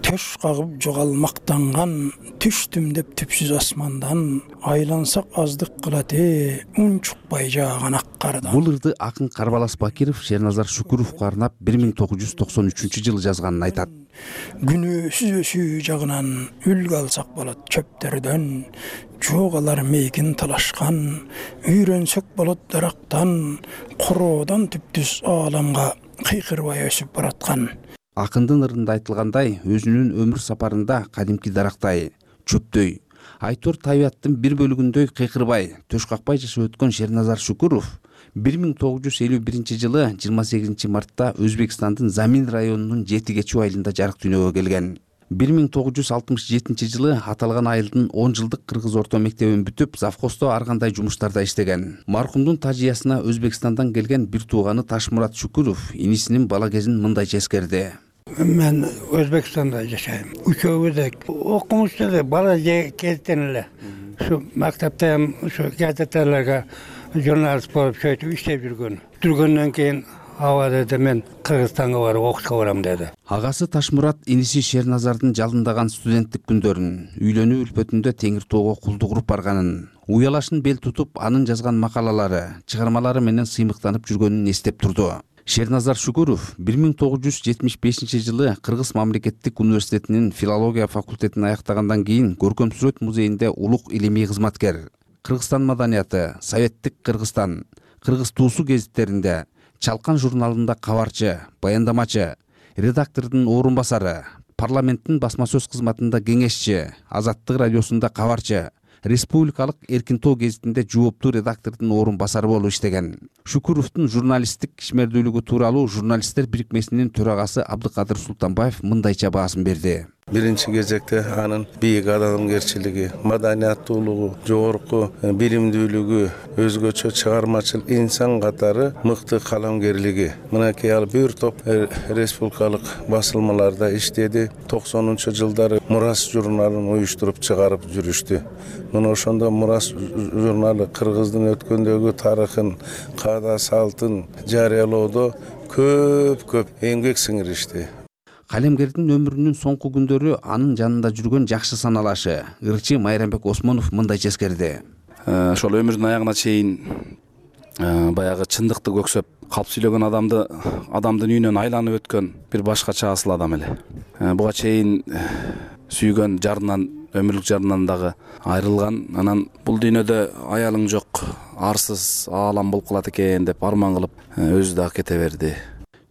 Төш кагып жоголмактанган, түштүм деп түпсүз асмандан, айлансак аздык кылат үн чукпай жааган ак кардан. Бул ырды акын Карбалас Бакиров Шерназар Шукуровго арнап 1993-жылы жазганын айтат. Күнөөсүз өсүү жагынан үлгү алсак болот чөптөрдөн, жогалар мейгин талашкан, үйрөнсөк болот дарактан, короодон түптүз ааламга кыйкырбай өсүп бараткан. Акындын ырында айтылгандай, өзүнүн өмүр сапарында кадимки дарактай, чөптөй, айтор табияттын бир бөлүгүндөй кыйкырбай, төш какпай жашап өткөн Шерназар Шукуров 1951-жылы 28 мартта Өзбекстандын Замин районунун Жети Кечүү айылында жарык дүйнөгө келген. 1967-жылы аталган айылдын 10 жылдык кыргыз орто мектебин бүтүп, завхоздо ар кандай жумуштарда иштеген. Маркумдун тажыясына Өзбекстандан келген бир тууганы Ташмурат Шукуров инисинин бала кезин мындайча эскерди. Мен Өзбекстанда жашайм. Үчөөбүз окумушту бала кезден эле. Ушу мактапта ham ушу газеталарга журналист болуп сөйтүп иштеп жүргөндөн кийин аба деди, мен Кыргызстанга барып окушка барам деди. Агасы Ташмурат иниси Шерназардын жалындаган студенттик күндөрүн, үйлөнүү үлпөтүндө Теңир тоого кулдук уруп барганын, уялашын бел тутуп анын жазган макалалары, чыгармалары менен сыймыктанып жүргөнүн эстеп турду. Шерназар Шукуров 1975-жылы Кыргыз мамлекеттик университетинин филология факультетин аяктагандан кийин Көркөм сүрөт музейинде улук илимий кызматкер, Кыргызстан маданияты, Советтик Кыргызстан, Кыргыз туусу гезиттеринде, Чалкан журналында кабарчы, баяндамачы, редактордун орун басары, парламенттин басма сөз кызматында кеңешчи, Азаттык радиосунда кабарчы, Республикалык Эркин тоо гезитинде жооптуу редактордун орун басары болуп иштеген. Шукуровдун журналисттик ишмердүүлүгү тууралуу журналисттер бирикмесинин төрагасы Абдыкадыр Султанбаев мындайча баасын берди. Биринчи кезекте анын бийик адамгерчилиги, маданияттуулугу, жогорку билимдүүлүгү, өзгөчө чыгармачыл инсан катары мыкты каламгерлиги. Мынакей ал бир топ республикалык басылмаларда иштеди. 90-жылдары Мурас журналын уюштуруп чыгарып жүрүштү. Мына ошондо Мурас журналы кыргыздын өткөндөгү тарыхын, каада салтын жарыялоодо көп эмгек сиңиришти. Калемгердин өмүрүнүн соңку күндөрү анын жанында жүргөн жакшы саналашы, ырчы Майрамбек Осмонов мындайча эскерди. Ошол өмүрдүн аягына чейин баягы чындыкты көксөп, калп сүйлөгөн адамдын үйүнөн айланып өткөн бир башкача асыл адам эле. Буга чейин сүйгөн жарынан, өмүрлүк жарынан дагы айрылган. Анан бул дүйнөдө аялың жок, арсыз аалам болуп калат экен деп арман кылып өзү дагы кете берди.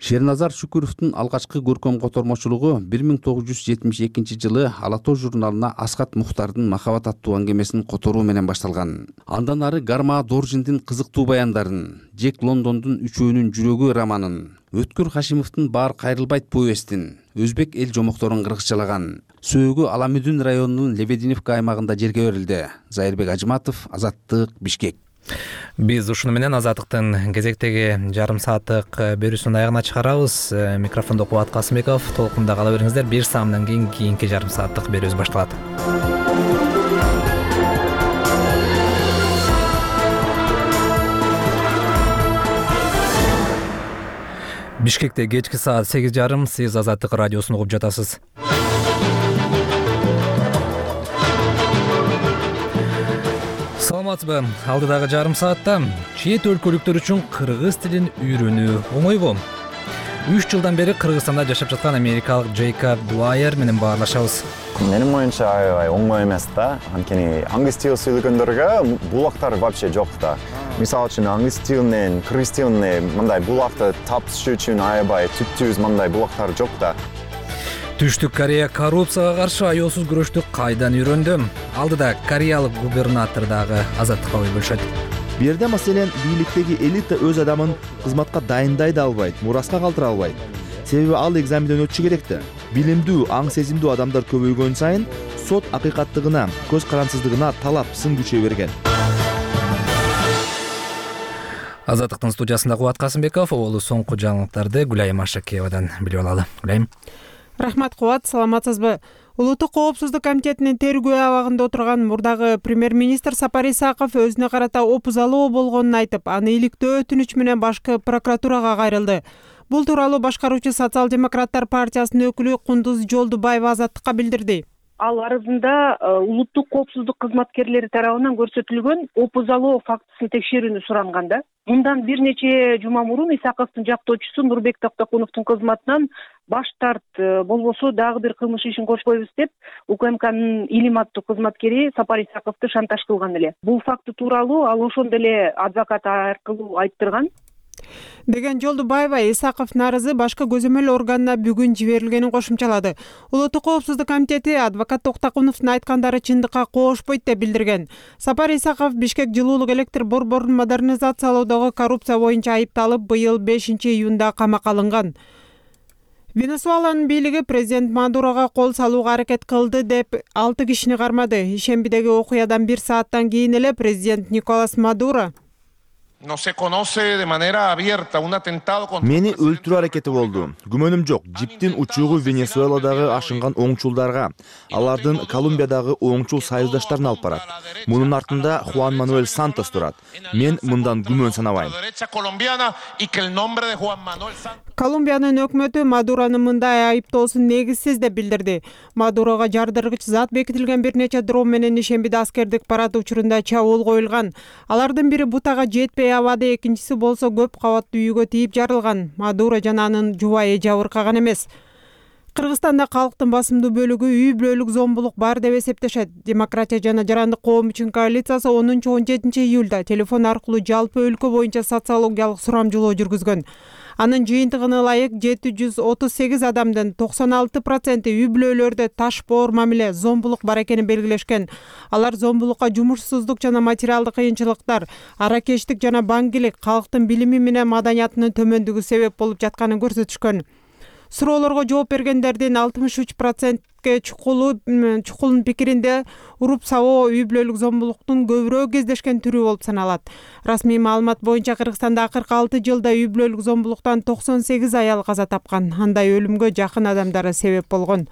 Шерназар Шүкүровдун алгачкы көркөм котормочулугу 1972 жылы Ала тоо журналына Асхат Мухтардын Махабат аттуу аңгемесин которуу менен башталган. Андан ары Гарма Доржиндин кызыктуу баяндарын, Джек Лондондун Үчөөнүн жүрөгү романын, Өткүр Хашимовдун Баар кайрылбайт повестин, өзбек эл жомокторун кыргызчалаган. Сөөгү Аламүдүн районунун Лебединовка аймагында жерге берилди. Зайырбек Ажыматов, Азаттык, Бишкек. Биз ушуну менен Азаттыктын кезектеги жарым сааттык берүүсүнүн аягына чыгарабыз. Микрофондо Кубат Касымбеков. Толкунда кала бериңиздер. Бир саамдан кийин кийинки жарым сааттык берүүбүз башталат. Бишкекте кечки саат 8:30. Сиз Азаттык радиосун угуп жатасыз. Саламатсызбы? Алдыдагы жарым саатта чет өлкөлүктөр үчүн кыргыз тилин үйрөнүү оңойбу? 3 жылдан бери Кыргызстанда жашап жаткан америкалык Джейкоб Дуайер менен баарлашабыз. Менин оюнча аябай оңой эмес да. Анткени англис тил сүйлөгөндөргө булактар вообще жок да. Мисалы үчүн англис тилинен кыргыз тилине мындай булакты тапышуу үчүн аябай түптүүз мындай булактар жок да. Түштүк Корея коррупцияга каршы аеосуз күрөштү кайдан үйрөндү? Алдыда кореялык губернатор дагы Азаттыкка ой бөлүшөт. Бу жерде маселен бийликтеги элита өз адамын кызматка дайындай да албайт, мураска калтыра албайт. Себеби ал экзаменден өтүшү керек да. Билимдүү, аң сезимдүү адамдар көбөйгөн сайын сот акыйкаттыгына, көз карансыздыгына талап сын күчөй берген. Азаттыктын студиясында Кубат Касымбеков, олу соңку жаңылыктарды Гүлайым Ашакеевадан билип алалы. Гүлайым. Рахмат Кубат, саламатсызбы? Улуттук коопсуздук комитетинин тергөө абагында отурган мурдагы премьер-министр Сапар Исаков өзүнө карата опузалоо болгонун айтып, аны иликтөө өтүнүч менен башкы прокуратурага кайрылды. Бул тууралуу башкаруучу социал-демократтар партиясынын өкүлү Кундуз Жолдубаева Азаттыкка билдирди. Ал арызында улуттук коопсуздук кызматкерлери тарабынан көрсөтүлгөн опузалоо фактысын текшерүүнү суранган да. Мындан бир нече жума мурун Исаковдун жактоочусу Нурбек Токтокуновдун кызматынан баш тарт, болбосо дагы бир кылмыш ишин кошпойбуз деп УКМКнын Илим аттуу кызматкери Сапар Исаковду шантаж кылган эле. Бул факты тууралуу ал ошондо эле адвокат аркылуу айттырган. Деген Жолдубаева Исаковдун арызы башкы көзөмөл органына бүгүн жиберилгенин кошумчалады. Улуттук коопсуздук комитети адвокат Токтокуновдун айткандары чындыкка коошпойт деп билдирген. Сапар Исаков Бишкек жылуулук электр борборун модернизациялоодогу коррупция боюнча айыпталып, быйыл 5-июнда камакка алынган. Венесуэланын бийлиги президент Мадурога кол салууга аракет кылды деп 6 кишини кармады. Ишембидеги окуядан 1 сааттан кийин эле президент Николас Мадуро Мени өлтүрүү аракети болду. Күмөнүм жок. Жиптин учуугу Венесуэладагы ашынган оңчулдарга, алардын Колумбиядагы оңчул союздаштарына алып барат. Мунун артында Хуан Мануэль Сантос турат. Мен мындан күмөн санабайм. Колумбиянын өкмөтү Мадуронун мындай айыптоосун негизсиз деп билдирди. Мадурога жардыргыч зат бекитилген бир нече дрон менен ишембиде аскердик парад учурунда чабуул коюлган. Алардын бири бутага жетпей абады, экинчиси болсо көп кабаттуу үйгө тийип жарылган. Мадуро жана анын жубайы жабыркаган эмес. Кыргызстанда калктын басымдуу бөлүгү үй бүлөлүк зомбулук бар деп эсептешет. Демократия жана жарандык коом үчүн коалициясы 10-17 июлда телефон аркылуу жалпы өлкө боюнча социологиялык сурамжылоо жүргүзгөн. Анын жыйынтыгына ылайык 738 адамдын 96% үй бүлөлөрдө ташпоор мамиле, зомбулук бар экенин белгилешкен. Алар зомбулукка жумушсуздук жана материалдык кыйынчылыктар, аракечтик жана баңгилик, калктын билими менен маданиятынын төмөндүгү себеп болуп жатканын көрсөтүшкөн. Суроолорго жооп бергендердин 63%ге чукулун пикиринде уруп сабоо үй бүлөлүк зомбулуктун көбүрөөк кездешкен түрү болуп саналат. Расмий маалымат боюнча Кыргызстанда акыркы 6 жылда үй бүлөлүк зомбулуктан 98 аял каза тапкан. Андай өлүмгө жакын адамдары себеп болгон.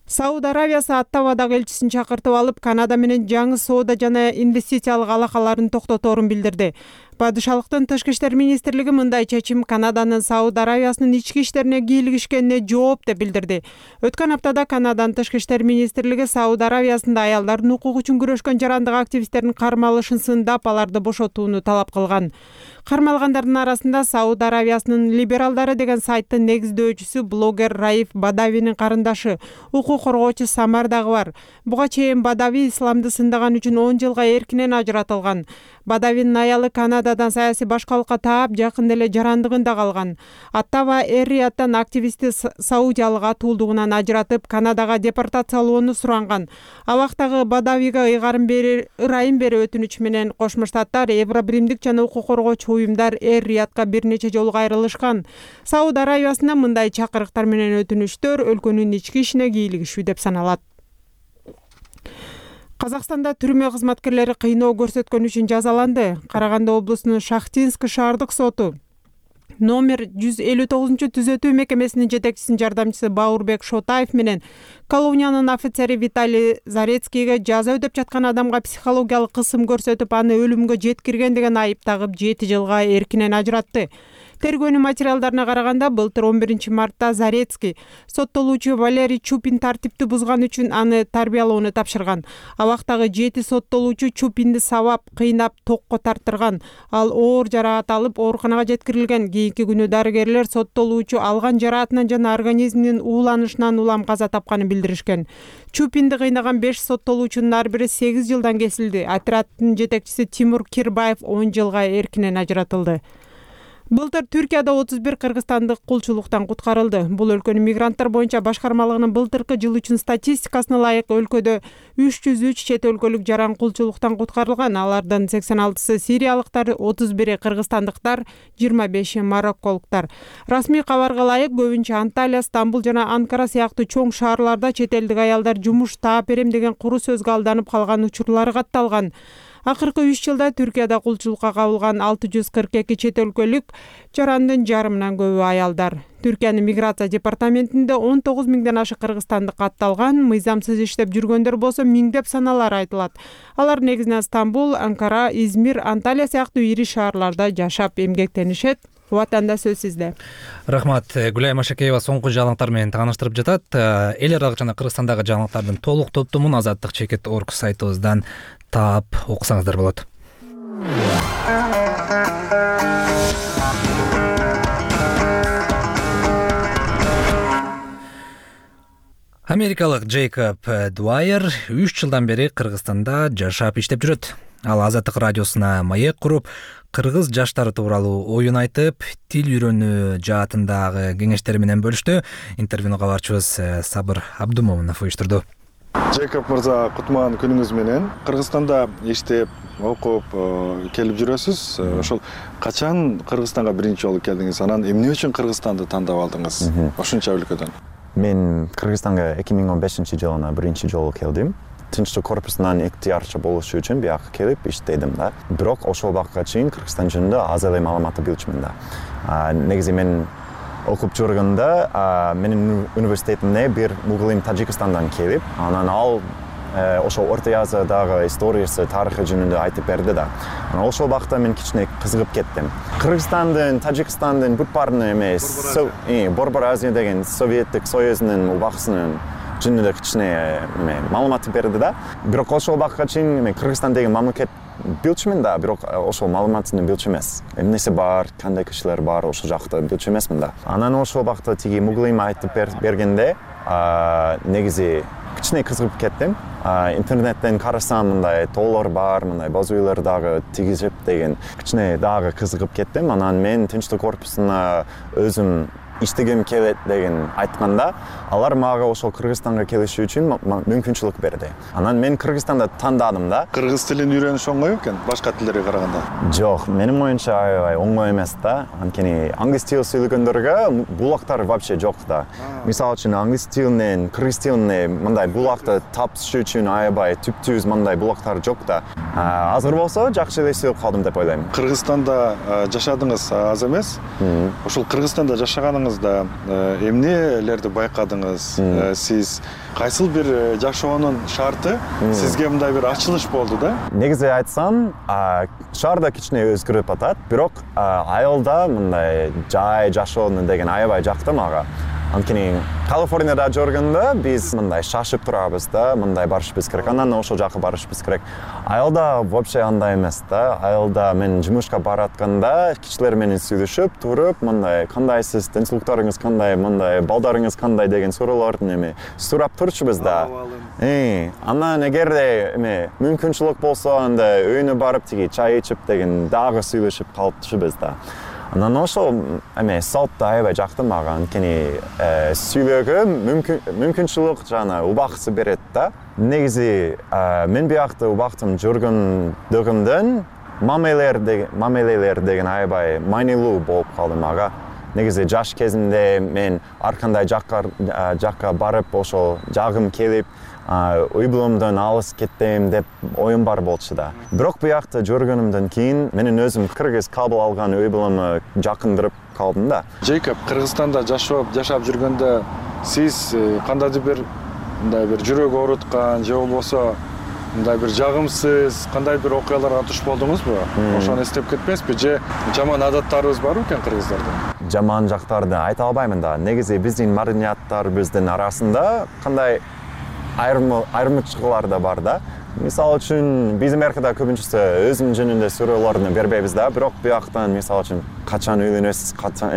Сауд Аравиясы Оттавадагы элчисин чакыртып алып, Канада менен жаңы соода жана инвестициялык алакаларын токтоторун билдирди. Падышалыктын тышкы иштер министрлиги мындай чечим Канаданын Сауд Аравиясынын ички иштерине кийлигишкенине жооп деп билдирди. Өткөн аптада Канаданын тышкы иштер министрлиги Сауд Аравиясында аялдардын укугу үчүн күрөшкөн жарандык активисттердин кармалышын сындап, аларды бошотууну талап кылган. Кармалгандардын арасында Сауд Аравиясынын либералдары деген сайттын негиздөөчүсү блогер Раиф Бадавинин карындашы, укук коргоочу Самар дагы бар. Буга чейин Бадави исламды сындаган үчүн 10 жылга эркинен ажыратылган. Бадавинин аялы Канададан саясий башкалыкка таап, жакында эле жарандыгында калган. Аттава Эр-Рияттан активистти саудиялык атуулдугунан ажыратып, Канадага депортациялоону суранган. Абактагы Бадавига ырайым берүү өтүнүчү менен Кошмо Штаттар, Евробиримдик жана укук коргоочу уюмдар Эр-Риятка бир нече жолу кайрылышкан. Сауд Арабиясында мындай чакырыктар менен өтүнүчтөр өлкөнүн ички ишине кийлигишүү деп саналат. Казакстанда түрмө кызматкерлери кыйноо көрсөткөн үчүн жазаланды. Караганды облусунун Шахтинск шаардык соту номер 159-түзөтүү мекемесинин жетекчисинин жардамчысы Баурбек Шотаев менен колониянын офицери Виталий Зарецкийге жаза өдөп жаткан адамга психологиялык кысым көрсөтүп, аны өлүмгө жеткирген деген айып тагып 7 жылга эркинен ажыратты. Тергөөнүн материалдарына караганда, былтыр 11 мартта Зарецкий соттолуучу Валерий Чупин тартипти бузган үчүн аны тарбиялоону тапшырган. Абактагы 7 соттолуучу Чупинди сабап, кыйнап, токко тартырган. Ал оор жараат алып, ооруканага жеткирилген. Кийинки күнү дарыгерлер соттолуучу алган жараатынан жана организминин ууланышынан улам каза тапканын билдиришкен. Чупинди кыйнаган 5 соттолуучунун ар бири 8 жылдан кесилди. Отряддын жетекчиси Тимур Кирбаев 10 жылга эркинен ажыратылды. Былтыр Түркияда 31 кыргызстандык кулчулуктан куткарылды. Бул өлкөнүн мигранттар боюнча башкармалыгынын былтыркы жыл үчүн статистикасына ылайык өлкөдө 303 чет өлкөлүк жаран кулчулуктан куткарылган. Алардын 86-сы сириялыктар, 31-и кыргызстандыктар, 25-и марокколуктар. Расмий кабарга ылайык, көбүнчө Анталия, Стамбул жана Анкара сыяктуу чоң шаарларда чет элдик аялдар жумуш таап берем деген куру сөзгө алданып калган учурлары катталган. Акыркы 3 жылда Түркияда кулчулукка кабылган 642 чет өлкөлүк жарандын жарымынан көбү аялдар. Түркиянын миграция департаментинде 19 миңден ашык кыргызстандык катталган, мыйзамсыз иштеп жүргөндөр болсо миңдеп саналары айтылат. Алар негизинен Стамбул, Анкара, Измир, Анталия сыяктуу ири шаарларда жашап эмгектенишет. Ватанда сөз сизде. Рахмат. Гүлай Машакеева соңку жаңылыктар менен тааныштырып жатат. Эл аралык жана Кыргызстандагы жаңылыктардын толук топтомун Азаттык чекит орг сайтыбыздан таап окусаңыздар болот. Америкалык Джейкоб Дуайер 3 жылдан бери Кыргызстанда жашап иштеп жүрөт. Ал Азаттык радиосуна маек куруп, кыргыз жаштары тууралуу оюн айтып, тил үйрөнүү жаатындагы кеңештери менен бөлүштү. Интервьюну кабарчыбыз Сабыр Абдумомунов уюштурду. Джейкоб мырза, кутман күнүңүз менен. Кыргызстанда иштеп, окуп келип жүрөсүз. Ошол качан Кыргызстанга биринчи жолу келдиңиз? Анан эмне үчүн Кыргызстанды тандап алдыңыз? Ошончо өлкөдөн. Мен Кыргызстанга 2015-жылы биринчи жолу келдим. Тынчтык корпусунан ыктыярчы болуш үчүн бияка келип иштедим да. Бирок ошол убакка чейин Кыргызстан жөнүндө аз эле маалыматты билчүмүн да. Негизи мен окуп жүргөндө менин университетимде бир мугалим Тажикстандан келип, анан ал ошол Орто Азиядагы историясы, тарыхы жөнүндө айтып берди да. Анан ошол убакта мен кичине кызыгып кеттим. Кыргызстандын, Тажикстандын бүт баарына эмес, Борбор Азия деген Советтик Союзунун убакытынын жөнүндө кичине маалымат берди да. Бирок ошол убакка чейин мен Кыргызстан деген мамлекет билчүмүн да, бирок ошол маалыматын билчү эмес. Эмнеси бар, кандай кишилер бар, ошол жакта билчү эмесмин да. Анан ошол убакта тиги мугалим айтып бергенде, негизи кичине кызыгып кеттим. Интернеттен карасам, мындай тоолор бар, мындай боз үйлөр дагы тигизип деген кичине дагы кызыгып кеттим. Анан мен Тынчтык корпусуна өзүм иштегим келет деген айтканда, алар мага ошол Кыргызстанга келиш үчүн мүмкүнчүлүк берди. Анан мен Кыргызстанда тандадым да. Кыргыз тилин үйрөнүш оңой экен, башка тилдерге караганда? Жок, менин оюмча аябай оңой эмес да. Анткени англис тил сүйлөгөндөргө булактар вообще жок да. Мисалы үчүн англис тилинен кыргыз тилине мындай булакты тапыш үчүн аябай түп-түз мындай булактар жок да. Азыр болсо жакшы эле сүйлөп калдым деп ойлойм. Кыргызстанда жашадыңыз аз эмес? Ошол Кыргызстанда жашаганыңыз эмнелерди байкадыңыз? Сиз кайсыл бир жашоонун шарты сизге мындай бир ачылыш болду да? Негизи айтсам, шаарда кичине өзгөрүп атат, бирок айылда мындай жай жашоо деген аябай жакты мага. Анткени Калифорнияда жүргөндө биз мындай шашып турабыз да, мындай барышыбыз керек, анан ошол жака барышыбыз керек. Айылда вообще андай эмес да. Айылда мен жумушка баратканда кичилер менен сүйлөшүп туруп, мындай кандайсыз, деңсиздиктарыңыз кандай, мындай балдарыңыз кандай деген суроолорду сурап турчубуз да. Анан эгерде мүмкүнчүлүк болсо, анда өйүнө барып тиги чай ичип деген дагы сүйлөшүп калчубуз да. Анан ошол салт да аябай жакты мага, анткени сүйлөөгө мүмкүнчүлүк жана убакытты берет да. Негизи мен биякта убактым жүргөндөгүмдөн мамилелер деген аябай маанилүү болуп калды мага. Негизи жаш кезимде мен ар кандай жакка барып ошол жагым келип, үй булумдан алыс кеттем деп оюм бар болчу да. Бирок биякта жүргөнүмдөн кийин менин өзүм кыргыз кабыл алган үй булуму жакындырып калдым да. Джейкоб, Кыргызстанда жашап жүргөндө сиз кандайдыр бир мындай бир жүрөк ооруткан же болбосо мындай бир жагымсыз кандай бир окуяларга туш болдуңузбу? Ошону эстеп кетпейсизби же жаман адаттарыбыз барбы экен кыргыздарда? Жаман жактарды айта албаймын да. Негизи биздин маданияттарыбыздын арасында кандай айырмачылыктар да бар да. Мисалы үчүн биз Америкада көбүнчөсү өзүм жөнүндө сүрөөлөрдү бербейбиз да, бирок буяктан мисалы үчүн качан үйлөнөсүз, качан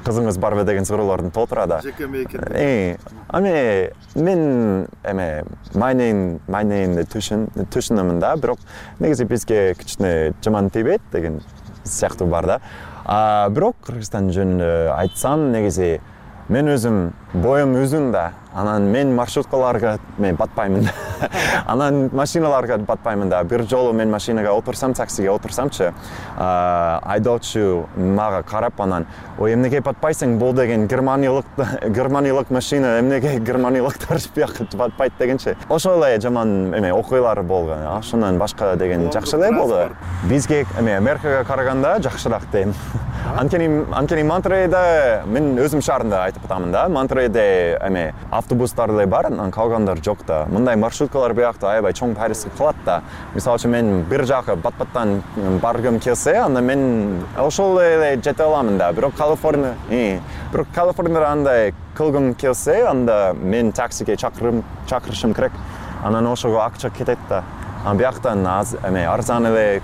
кызыңыз барбы деген суроолорду толтура да. Мен майнейн түшүнөмүн да, бирок негизи бизге кичине жаман тийбейт деген сыяктуу бар да. Бирок Кыргызстан жөнүндө айтсам, негизи мен өзүм боюм uzun да. Анан мен маршруткаларга батпаймын. Анан машиналарга батпаймын да. Бир жолу мен машинага отурсам, таксиге отурсамчы, айдоочу мага карап анан, "Ой, эмнеге батпайсың? Бул деген германиялык машина, эмнеге германиялыктар бияка батпайт дегенчи." Ошол эле жаман окуялар болгон. Ошондон башка деген жакшы эле болду. Бизге Америкага караганда жакшыраак дейм. Анткени Монтерейде мен өзүм шаарында айтып атамын да. Монтерейде автобустар эле бар, анан калгандар жок да. Мындай маршруткалар биякта аябай чоң пайдасы кылат да. Мисалы үчүн мен бир жака бат-баттан баргым келсе, анда мен ошол эле жете аламын да. Бирок Калифорнияда андай кылгым келсе, анда мен таксиге чакырышым керек. Анан ошого акча кетет да. Анан бияктан арзан эле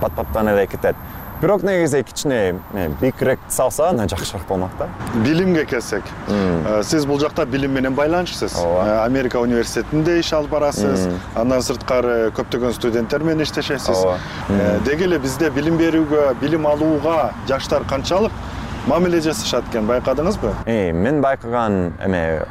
бат-баттан эле кетет. Бирок негизи кичине бийикирээк салса, анда жакшыраак болмок да. Билимге келсек, сиз бул жакта билим менен байланышсыз. Америка университетинде иш алып барасыз, андан сырткары көптөгөн студенттер менен иштешесиз. Деги эле бизде билим берүүгө, билим алууга жаштар канчалык мамиле жасашат экен, байкадыңызбы? Мен байкаган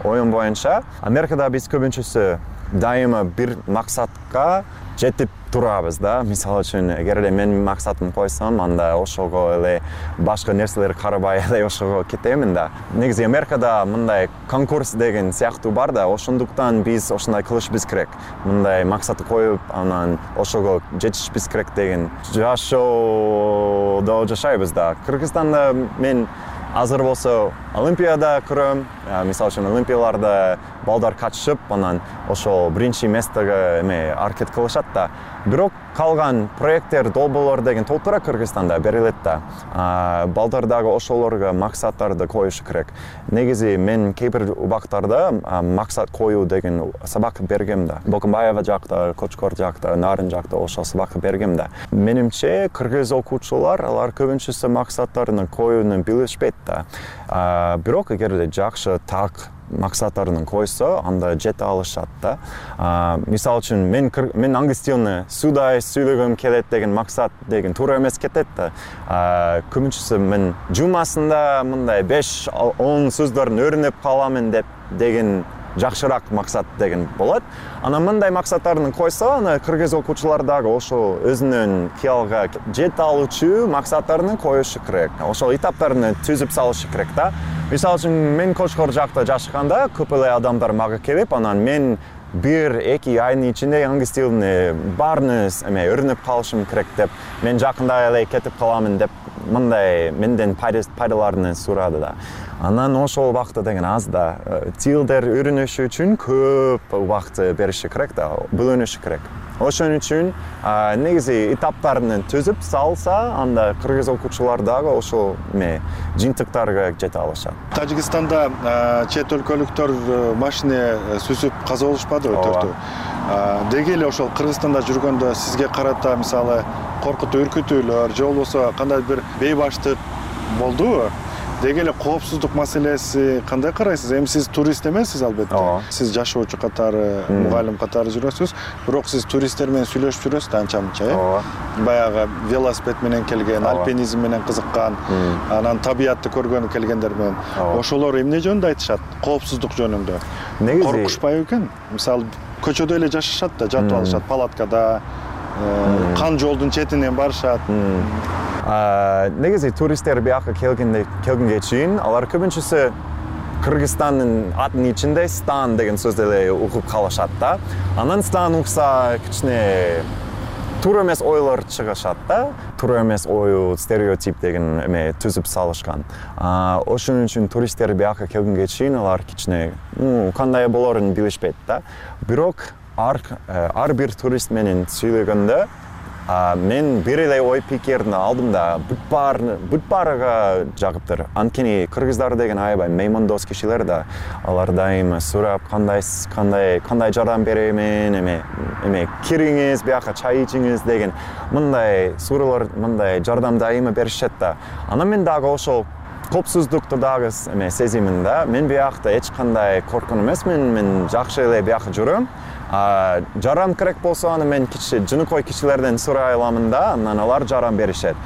оюм боюнча, Америкада биз көбүнчөсү дайыма бир максатка жетип турабыз да. Мисалы үчүн, эгерде мен максатым койсом, анда ошого эле башка нерселер карабай эле ошого кетемин да. Негизи Америкада мындай конкурс деген сыяктуу бар да, ошондуктан биз ошондой кылышыбыз керек. Мындай максатты коюп, анан ошого жетишибиз керек деген жашоодо жашайбыз да. Кыргызстанда мен азыр болсо Олимпиада көрөм. Мисалы үчүн Олимпияларда балдар катышып, анан ошол биринчи местага аракет кылышат да. Бирок калган проекттер, долбоорлор деген толтура Кыргызстанда берилет да. Балдар дагы ошолорго максаттарды коюшу керек. Негизи мен кээ бир убактарда максат коюу деген сабак бергем да. Бокумбаева жакта, Кочкор жакта, Нарын жакта ошол сабак бергем да. Менимче кыргыз окуучулар алар көбүнчөсү максаттарын коюуну билишпейт да. Бирок эгерде жакшы так максаттарын койсо, анда жете алышат да. Мисалы үчүн мен англис тилин судай сүйлөгөм келет деген максат деген туура эмес кетет да. Көбүнчөсү мен жумасында мындай 5-10 сөздөрдүн өйрөнүп каламын деген жакшыраак максат деген болот. Анан мындай максаттарын койсо, аны кыргыз окуучулар дагы ошо өзүнүн кыялга жете алуучу максаттарын коюшу керек. Ошол этаптарын түзүп салышы керек да. Мисалы үчүн, мен Кочкор жакта жашаганда көп эле адамдар мага келип, анан мен 1-2 айдын ичинде англис тилин баарын өйрөнүп калышым керек деп, мен жакында эле кетип каламын деп, мындай менден пайдаларын сурады да. Анан ошол убакыт деген аз да. Тилдер үйрөнүшү үчүн көп убакыт бериши керек да, бөлүнүшү керек. Ошон үчүн негизи этаптарын түзүп салса, анда кыргыз окуучулар дагы ошол жыйынтыктарга жете алышат. Тажикстанда чет өлкөлүктөр машина сүзүп каза болушпадыбы төртөө? Деги эле ошол Кыргызстанда жүргөндө сизге карата мисалы коркутуу, үркүтүүлөр же болбосо кандай бир бейбаштык болдубу? Деги эле коопсуздук маселеси кандай карайсыз? Эми сиз турист эмессиз албетте. Сиз жашоочу катары, мугалим катары жүрөсүз, бирок сиз туристтер менен сүйлөшүп жүрөсүз да анча-мынча, Баягы велосипед менен келген, альпинизм менен кызыккан, анан табиятты көргөнү келгендер менен. Ошолор эмне жөнүндө айтышат? Коопсуздук жөнүндө. Коркушпайбы экен? Мисалы көчөдө эле жашашат да, жатып алышат палаткада, кан жолдун четинен барышат. Негизи туристтер бияка келгенге чейин алар көбүнчөсү Кыргызстандын атын ичинде стан деген сөздү эле угуп калышат да. Анан стан укса кичине туура эмес ойлор чыгышат да. Туура эмес ою, стереотип деген түзүп салышкан. Ошон үчүн туристтер бияка келгенге чейин алар кичине кандай болорун билишпейт да. Бирок ар бир турист менен сүйлөгөндө мен бир эле ой пикирди алдым да, бүт баарыга жагыптыр. Анткени кыргыздар деген аябай меймандос кишилер да. Алар дайыма сурап, кандай жардам беремен, кириңиз, бияка чай ичиңиз деген мындай суроолор, мындай жардам дайыма беришет да. Анан мен дагы ошол коопсуздукту дагы сезимин да. Мен биякта эч кандай коркун эмесмин, мен жакшы эле бияка жүрөм. Жарам керек болсо аны мен жыныкой кишилерден сурай аламын да, анан алар жарам беришет.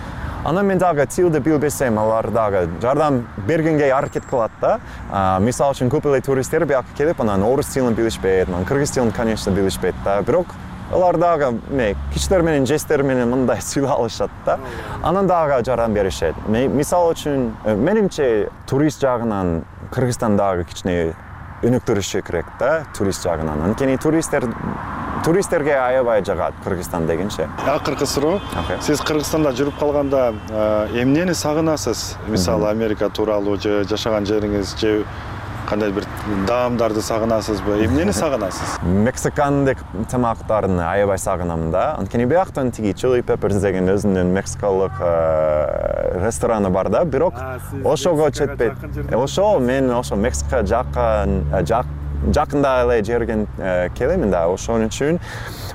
Анан мен дагы тилди билбесем, алар дагы жардам бергенге аракет кылат да. Мисалы үчүн көп эле туристтер бияка келип, анан орус тилин билишпейт, анан кыргыз тилин конечно билишпейт да. Бирок алар дагы кишилер менен жестер менен мындай сүйлөй алышат да. Анан дагы жардам беришет. Мисалы үчүн менимче турист жагынан Кыргызстан дагы кичине өнүктүрүшү керек да, турист жагынан. Анткени туристтерге аябай жагат Кыргызстан дегенче. Акыркы суроо. Сиз Кыргызстанда жүрүп калганда эмнени сагынасыз? Мисалы Америка тууралуу же жашаган жериңиз же кандай бир даамдарды сагынасызбы? Эмнени сагынасыз? Мексикандык тамактарын аябай сагынам да. Анткени бияктан тиги Chili Peppers деген өзүнүн мексикалык рестораны бар да, бирок ошого жетпейт. Ошол мен ошо Мексика жакында эле жерген келемин да. Ошон үчүн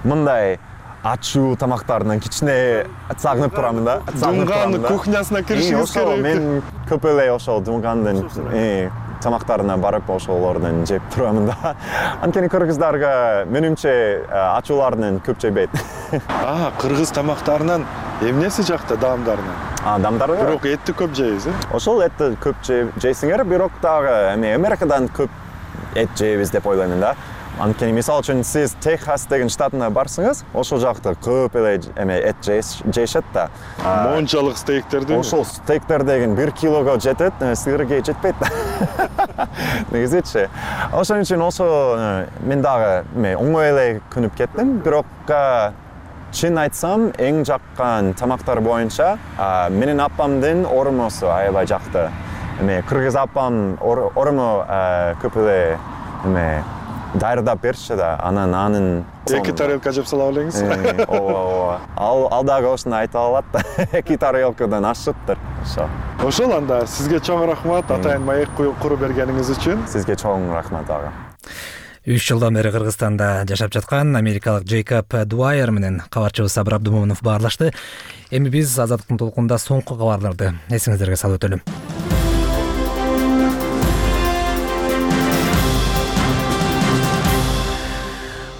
мындай ачуу тамактарынан кичине сагынып турамын да. Дунган кухнясына киришиңиз керек. Мен көп эле ошол Дунгандын тамактарына барып ошолордон жеп турамын да. Анткени кыргыздарга менимче ачууларынан көп жебейт. Кыргыз тамактарынан эмнеси жакта даамдарынан? Даамдары? Бирок этти көп жейсиз, Ошол этти көп жейсиңер, бирок дагы Америкадан көп эт жейбиз деп ойлоймун да. Анткени мисалы үчүн сиз Техас деген штатына барсаңыз, ошол жакта көп эле эт жейшет да. Мончалык стейктерди. Ошол стейктер деген 1 килого жетет, сиырге жетпейт да. Негизичи. Ошон үчүн мен дагы оңой эле күнүп кеттим, бирок чын айтсам, эң жаккан тамактар боюнча менин апамдын ормосу аябай жакты. Кыргыз апам ормо көп эле дайырдап берчү да, анын 2 тарелка жеп сала белеңиз. Ооба. Ал дагы ошону айта алат да. 2 тарелкадан ашыптыр. Ошол анда сизге чоң рахмат, атайын маек куруп бергениңиз үчүн. Сизге чоң рахмат дагы. 3 жылдан бери Кыргызстанда жашап жаткан америкалык Джейкоб Дуайер менен кабарчыбыз Сабыр Абдумомунов баарлашты. Эми биз Азаттыктын толкунунда соңку кабарларды эсиңиздерге салып өтөлүм.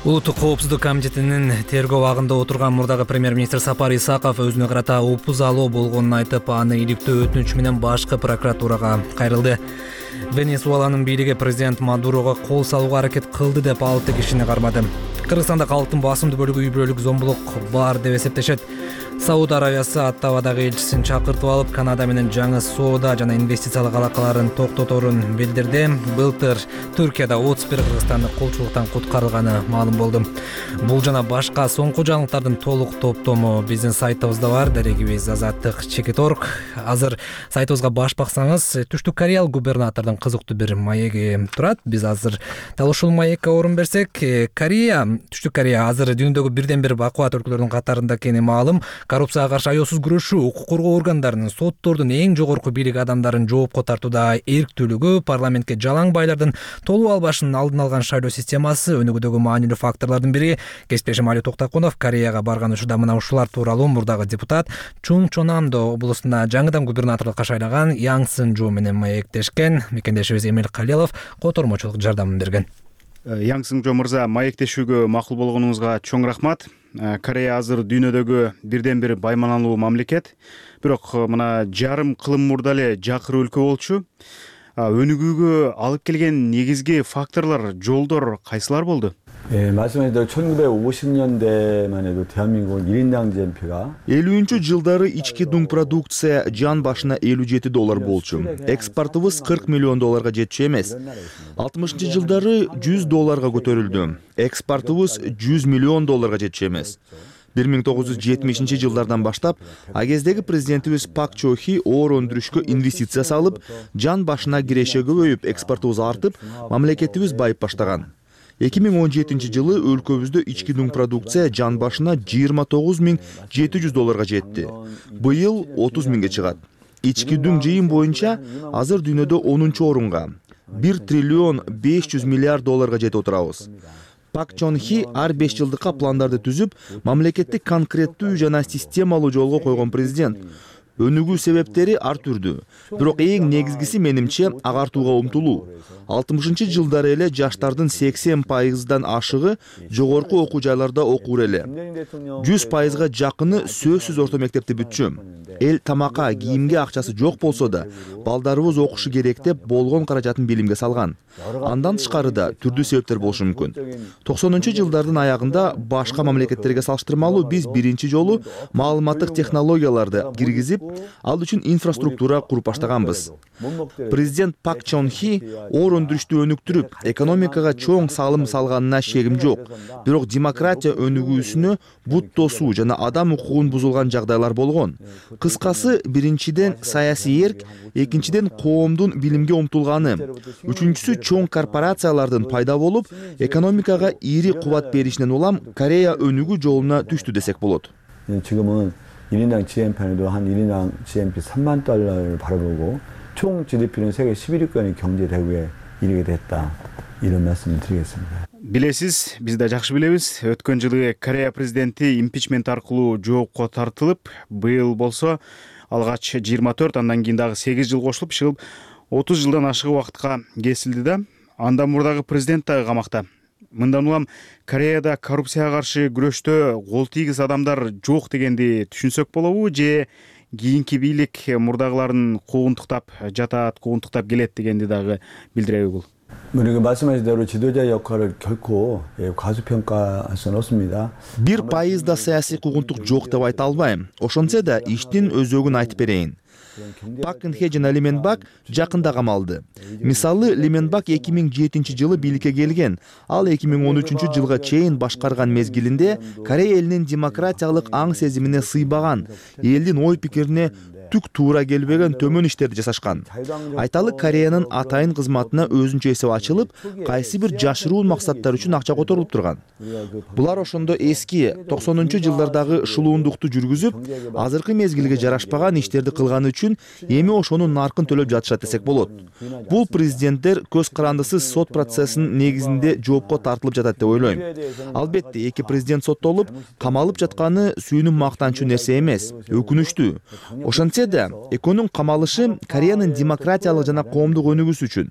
Улуттук коопсуздук комитетинин тергөө абагында отурган мурдагы премьер-министр Сапар Исаков өзүнө карата опузалоо болгонун айтып, аны иликтөө өтүнүч менен башкы прокуратурага кайрылды. Венесуэланын бийлиги президент Мадурого кол салууга аракет кылды деп 6 кишини кармады. Кыргызстанда калктын басымдуу бөлүгү үй бүлөлүк зомбулук бар деп эсептешет. Сауд Арабиясы Оттавадагы элчисин чакыртып алып, Канада менен жаңы соода жана инвестициялык алакаларын токтоторун билдирди. Былтыр Түркияда 31 кыргызстандык кулчулуктан куткарылганы маалым болду. Бул жана башка соңку жаңылыктардын толук топтому биздин сайтыбызда бар. Дарегибиз Азаттык.org. Азыр сайтыбызга баш баксаңыз, Түштүк Кореялык губернатордун кызыктуу бир маеги турат. Биз азыр дал ушул маекке орун берсек, Түштүк Корея азыр дүйнөдөгү бирден бир бакубат өлкөлөрдүн катарында экени маалым. Коррупцияга каршы аеосуз күрөшүү, укук коргоо органдарынын, соттордун эң жогорку бийлик адамдарын жоопко тартууда эрктүүлүгү, парламентке жалаң байлардын толуп албашынын алдын алган шайлоо системасы өнүгүүдөгү маанилүү факторлордун бири. Кесиптешим Али Токтакунов Кореяга барган учурда мына ушулар тууралуу мурдагы депутат Чунгчонамдо облусуна жаңыдан губернаторлукка шайлаган Яң Сынжу менен маектешкен. Мекендешибиз Эмил Калелов котормочулук жардамын берген. Яң Сынжу мырза, маектешүүгө макул болгонуңузга чоң рахмат. Корея азыр дүйнөдөгү бирден бир байманалуу мамлекет. Бирок мына жарым кылым мурда эле жакыр өлкө болчу. Өнүгүүгө алып келген негизги факторлор, жолдор кайсылар болду? 말씀하신 대로 1950년대만 해도 대한민국은 1인당 GNP가 50-жылдары ички дуң продукция жан башына $57 болчу. Экспортубуз $40 миллион жетчү эмес. 60-жылдары $100 көтөрүлдү. Экспортубуз $100 миллион жетчү эмес. 1970-жылдардан баштап агездеги президентибиз Пак Чо Хи оор өндүрүшкө инвестиция салып, жан башына киреше көбөйүп, экспортубуз артып, мамлекетибиз байып баштаган. 2017 жылы өлкөбүздө ички дуң продукция жан башына $29,700 жетти. Быйыл 30 миңге чыгат. Ички дуң жыйын боюнча азыр дүйнөдө 10-чу орунга, $1 триллион $500 миллиард жетип отурабыз. Пак Чон Хи ар 5 жылдыкка пландарды түзүп, мамлекетти конкреттүү жана системалуу жолго койгон президент. Өнүгүү себептери ар түрдүү. Бирок эң негизгиси менимче агартууга умтулуу. 60-жылдары эле жаштардын 80%дан ашыгы жогорку окуу жайларда окур эле. 100%га жакыны сөзсүз орто мектепти бүтчү. Эл тамакка, кийимге акчасы жок болсо да, балдарыбыз окушу керек деп болгон каражатын билимге салган. Андан тышкары да түрдүү себептер болушу мүмкүн. 90-жылдардын аягында башка мамлекеттерге салыштырмалуу биз биринчи жолу маалыматтык технологияларды киргизип, ал үчүн инфраструктура куруп баштаганбыз. Президент Пак Чон Хи оор өндүрүштү өнүктүрүп, экономикага чоң салым салганына шегим жок. Бирок демократия өнүгүүсүнө бут тосуу жана адам укугун бузулган жагдайлар болгон. Кыскасы, биринчиден саясий эрк, экинчиден коомдун билимге умтулганы, үчүнчүсү чоң корпорациялардын пайда болуп, экономикага ири кубат беришинен улам Корея өнүгүү жолуна түштү десек болот. 지금은 1인당 GNP도 한 1인당 GNP $30,000를 바라보고 총 GDP는 세계 11위권의 경제 대국에 이르게 됐다. 이런 말씀을 드리겠습니다. Билесиз, биз да жакшы билебиз. Өткөн жылы Корея президенти импичмент аркылуу жоопко тартылып, быйыл болсо алгач 24, андан кийин дагы 8 жыл кошулуп чыгып 30 жылдан ашык убакытка кесилди да. Андан мурдагы президент дагы камакта. Мындан улам Кореяда коррупцияга каршы күрөштө кол тийгиз адамдар жок дегенди түшүнсөк болобу, же кийинки бийлик мурдагыларын куугунтуктап жатат, куугунтуктап келет дегенди дагы билдиреби бул? 우리가 말씀하신 대로 지도자의 역할을 결코 과소평가할 수는 없습니다. 1% да саясий куугунтук жок деп айта албайм. Ошончо да иштин өзөгүн айтып берейин. Пак Кын Хе жана Ли Мен Бак жакында камалды. Мисалы, Ли Мен Бак 2007-жылы бийликке келген. Ал 2013 жылга чейин башкарган мезгилинде Корея элинин демократиялык аң сезимине сыйбаган, элдин ой пикирине түк туура келбеген төмөн иштерди жасашкан. Айталы, Кореянын атайын кызматына өзүнчө эсеп ачылып, кайсы бир жашыруун максаттар үчүн акча которулуп турган. Булар ошондо эски 90-жылдардагы шылуундукту жүргүзүп, азыркы мезгилге жарашпаган иштерди кылганы үчүн эми ошонун наркын төлөп жатышат десек болот. Бул президенттер көз карандысыз сот процессинин негизинде жоопко тартылып жатат деп ойлойм. Албетте, эки президент соттолуп, камалып жатканы сүйүнүп мактанчу нерсе эмес, өкүнүчтүү. Ошентсе да, экөөнүн камалышы Кореянын демократиялык жана коомдук өнүгүүсү үчүн,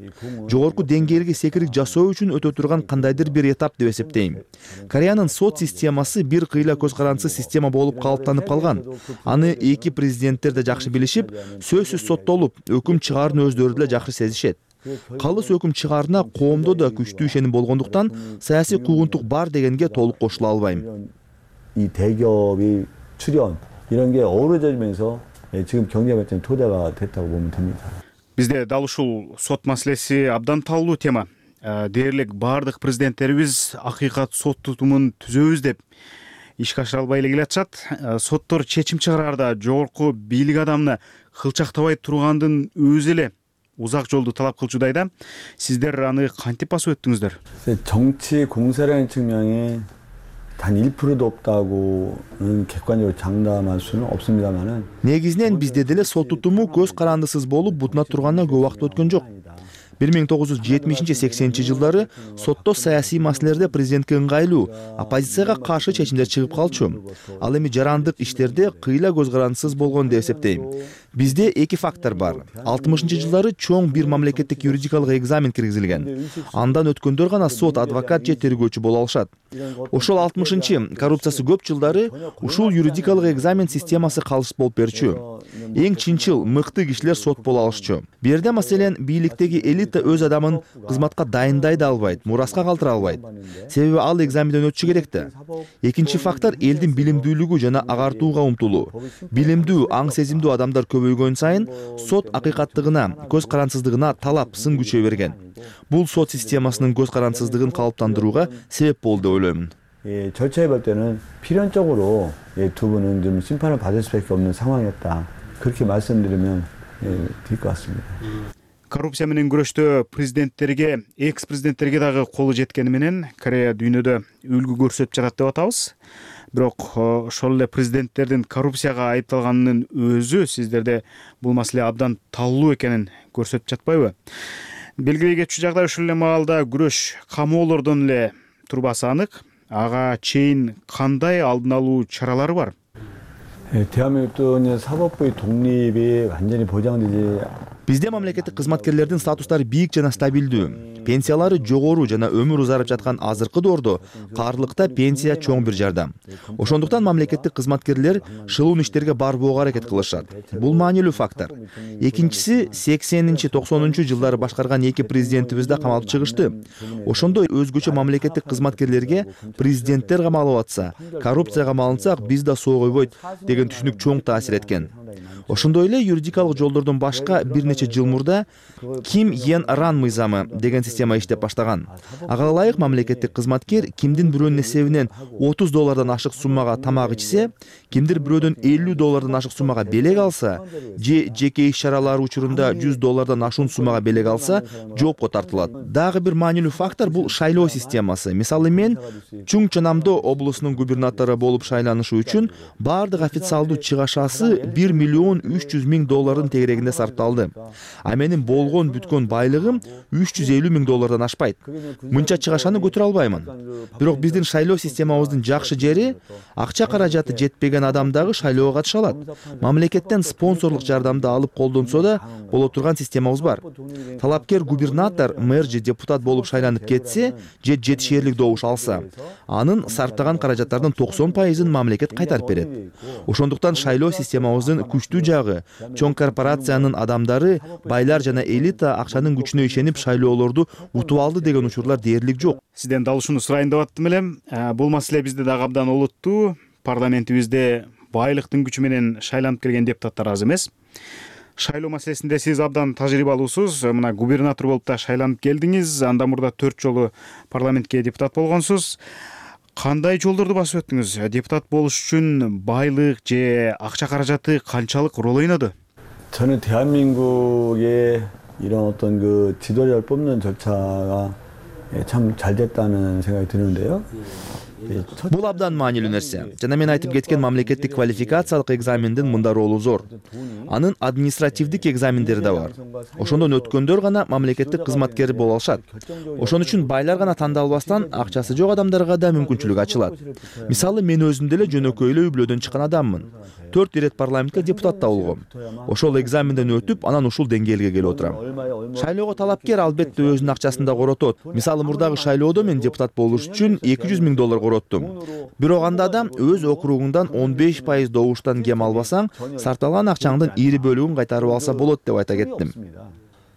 жогорку деңгээлге секирик жасоо үчүн өтө турган кандайдыр бир этап деп эсептейм. Кореянын сот системасы бир кыйла көз карандысыз система болуп калыптанып калган. Аны эки президенттер да жакшы билишип, сөзсүз соттолуп, өкүм чыгаарын өздөрү деле жакшы сезишет. Калыс өкүм чыгаарына коомдо да күчтүү ишеним болгондуктан саясий куугунтук бар дегенге толук кошула албайм. 이 대기업이 출연 이런 게 어우러지면서 지금 경제 발전의 토대가 됐다고 보면 됩니다. Бизде дал ушул сот маселеси абдан талуу тема. Дээрлик бардык президенттерибиз акыйкат сот тутумун түзөбүз деп ишке ашыра албай эле келатышат. Соттор чечим чыгараарда жогорку бийлик адамына кылчактабай тургандын өзү эле узак жолду талап кылчудайда. Сиздер аны кантип басып өттүңүздөр? 정치 공세라는 측면이 단 1%도 없다고는 객관적으로 장담할 수는 없습니다만은 негизинен бизде деле сот тутуму көз карандысыз болуп бутуна турганына көп убакыт өткөн жок. 1970-80 жылдары сотто саясий маселелерде президентке ыңгайлуу, оппозицияга каршы чечимдер чыгып калчу. Ал эми жарандык иштерде кыйла көз карандысыз болгон деп эсептейм. Бизде эки фактор бар. 60-жылдары чоң бир мамлекеттик юридикалык экзамен киргизилген. Андан өткөндөр гана сот, адвокат же тергөөчү боло алышат. Ошол 60-чы коррупциясы көп жылдары ушул юридикалык экзамен системасы калыс болуп берчү. Эң чынчыл, мыкты кишилер сот боло алышчу. Бу жерде маселен бийликтеги элита өз адамын кызматка дайындай да албайт, мураска калтыра албайт. Себеби ал экзаменден өтүшү керек да. Экинчи фактор элдин билимдүүлүгү жана агартууга умтулуу. Билимдүү, аң сезимдүү адамдар көбөйгөн сайын сот акыйкаттыгына, көз карансыздыгына талап сын күчөй берген. Бул сот системасынын көз карансыздыгын калыптандырууга себеп болду деп ойлоймун. 절차에 볼 때는 필연적으로 두 분은 좀 심판을 받을 수밖에 없는 상황이었다. 그렇게 말씀드리면 될 것 같습니다. Коррупция менен күрөштө президенттерге, экс-президенттерге дагы колу жеткени менен Корея дүйнөдө үлгү көрсөтүп жатат деп атабыз. Бирок ошол эле президенттердин коррупцияга айыпталганынын өзү сиздерде бул маселе абдан талуу экенин көрсөтүп жатпайбы? Белгилей кетчү жагдай ушул эле маалда күрөш камоолордон эле турбасы анык. Ага чейин кандай алдын алуу чаралары бар? 대한민국도 사법부의 독립이 완전히 보장되지 Бизде мамлекеттик кызматкерлердин статустары бийик жана стабилдүү. Пенсиялары жогору жана өмүр узарып жаткан азыркы доордо каарлыкта пенсия чоң бир жардам. Ошондуктан мамлекеттик кызматкерлер шылуун иштерге барбоого аракет кылышат. Бул маанилүү фактор. Экинчиси 80-90 жылдары башкарган эки президентибиз да камалып чыгышты. Ошондой өзгөчө мамлекеттик кызматкерлерге президенттер камалып атса, коррупцияга малынсак биз да соогойбойт деген түшүнүк чоң таасир эткен. Ошондой эле юридикалык жолдордон башка бир нече жыл мурда Ким Йен Ран мыйзамы деген система иштеп баштаган. Ага ылайык мамлекеттик кызматкер кимдин бирөөнүн эсебинен $30 ашык суммага тамак ичсе, кимдир бирөөдөн $50 ашык суммага белек алса, же жеке иш чаралары учурунда $100 ашуун суммага белек алса, жоопко тартылат. Дагы бир маанилүү фактор бул шайлоо системасы. Мисалы мен Чуңчонамдо облусунун губернатору болуп шайланышы үчүн бардык официалдуу чыгашасы $1,300,000 тегерегинде сарпталды. А менин болгон бүткөн байлыгым $350,000 ашпайт. Мынча чыгашаны көтөрө албаймын. Бирок биздин шайлоо системабыздын жакшы жери акча каражаты жетпеген адам дагы шайлоого катыша алат. Мамлекеттен спонсорлук жардамды алып колдонсо да боло турган системабыз бар. Талапкер губернатор, мэр же депутат болуп шайланып кетсе, же жетишээрлик добуш алса, анын сарптаган каражаттардын 90%-ын мамлекет кайтарып берет. Ошондуктан шайлоо системабыздын күчтүү жагы чоң корпорациянын адамдары, байлар жана элита акчанын күчүнө ишенип шайлоолорду утуп алды деген учурлар дээрлик жок. Сизден дал ушуну сурайын деп аттым элем. Бул маселе бизде дагы абдан олуттуу. Парламентибизде байлыктын күчү менен шайланып келген депутаттар аз эмес. Шайлоо маселесинде сиз абдан тажрыйбалуусуз. Мына губернатор болуп да шайланып келдиңиз. Андан мурда 4 жолу парламентке депутат болгонсуз. Кандай жолдорду басып өттүңүз? Депутат болуш үчүн байлык же акча каражаты канчалык рол ойноду? 저는 대한민국의 이런 어떤 그 지도자를 뽑는 절차가 참 잘 됐다는 생각이 드는데요. Бул абдан маанилүү нерсе. Жана мен айтып кеткен мамлекеттик квалификациялык экзамендин мында ролу зор. Анын административдик экзамендери да бар. Ошондон өткөндөр гана мамлекеттик кызматкер боло алышат. Ошон үчүн байлар гана тандалбастан акчасы жок адамдарга да мүмкүнчүлүк ачылат. Мисалы мен өзүм деле жөнөкөйлүү үй бүлөдөн чыккан адаммын. 4 ирет парламентке депутат да болгом. Ошол экзаменден өтүп, анан ушул деңгээлге келип отурам. Шайлоого талапкер албетте өзүнүн акчасын да коротот. Мисалы мурдагы шайлоодо мен депутат болуш үчүн $200,000 короттум. Бирок анда да өз округуңдан 15% добуштан кем албасаң, сарталган акчаңдын ийри бөлүгүн кайтарып алса болот деп айта кеттим.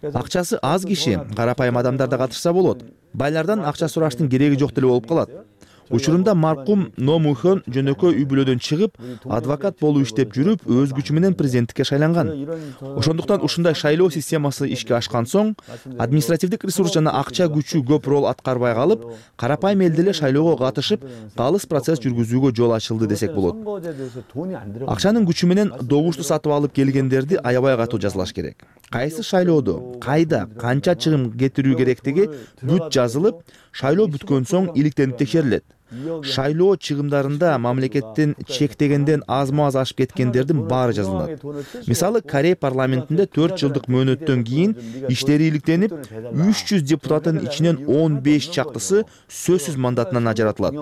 Акчасы аз киши, карапайым адамдар да катышса болот. Байлардан акча сураштын кереги жок деле болуп калат. Учурунда маркум Но Мухон жөнөкөй үй бүлөдөн чыгып, адвокат болуп иштеп жүрүп, өз күчү менен президенттикке шайланган. Ошондуктан ушундай шайлоо системасы ишке ашкан соң, административдик ресурс жана акча күчү көп роль аткарбай калып, карапайым эл деле шайлоого катышып, калыс процесс жүргүзүүгө жол ачылды десек болот. Акчанын күчү менен добушту сатып алып келгендерди аябай катуу жазалаш керек. Кайсы шайлоодо, кайда, канча чыгым кетирүү керектиги бүт жазылып, шайлоо бүткөн соң иликтенип текшерилет. Шайлоо чыгымдарында мамлекеттин чектегенден азма-аз ашып кеткендердин баары жазылат. Мисалы, Корея парламентинде 4 жылдык мөөнөттөн кийин иштери иликтенип, 300 депутаттын ичинен 15 чактысы сөзсүз мандатынан ажыратылат.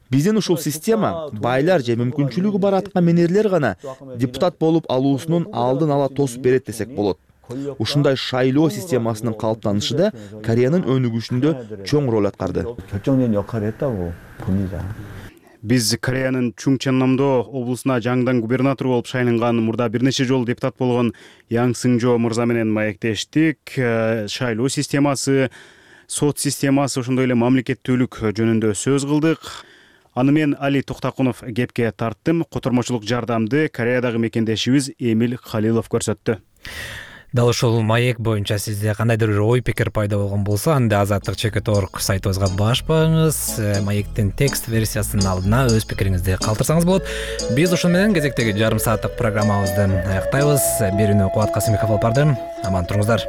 Биздин ушул система байлар же мүмкүнчүлүгү бар аткаминерлер гана депутат болуп алуусунун алдын ала тосуп берет десек болот. Ушундай шайлоо системасынын калыптанышында Кореянын өнүгүшүндө чоң роль аткарды. 결정적인 역할을 했다고 봅니다. Биз Кореянын Чунгченнамдо облусуна жаңыдан губернатор болуп шайланган, мурда бир нече жолу депутат болгон Яң Сыңжо мырза менен маектештик. Шайлоо системасы, сот системасы, ошондой эле мамлекеттүүлүк жөнүндө сөз кылдык. Аны мен Али Токтакунов кепке тарттым. Котормочулук жардамды Кореядагы мекендешибиз Эмил Халилов көрсөттү. Дал ушул маек боюнча сизде кандайдыр бир ой пикир пайда болгон болсо, анда Азаттык.org сайтыбызга баш багыңыз, маектин текст версиясынын алдына өз пикириңизди калтырсаңыз болот. Биз ушун менен кезектеги жарым сааттык программабызды аяктайбыз. Берүүнү Кубат Касымбеков алып барды. Аман туруңуздар.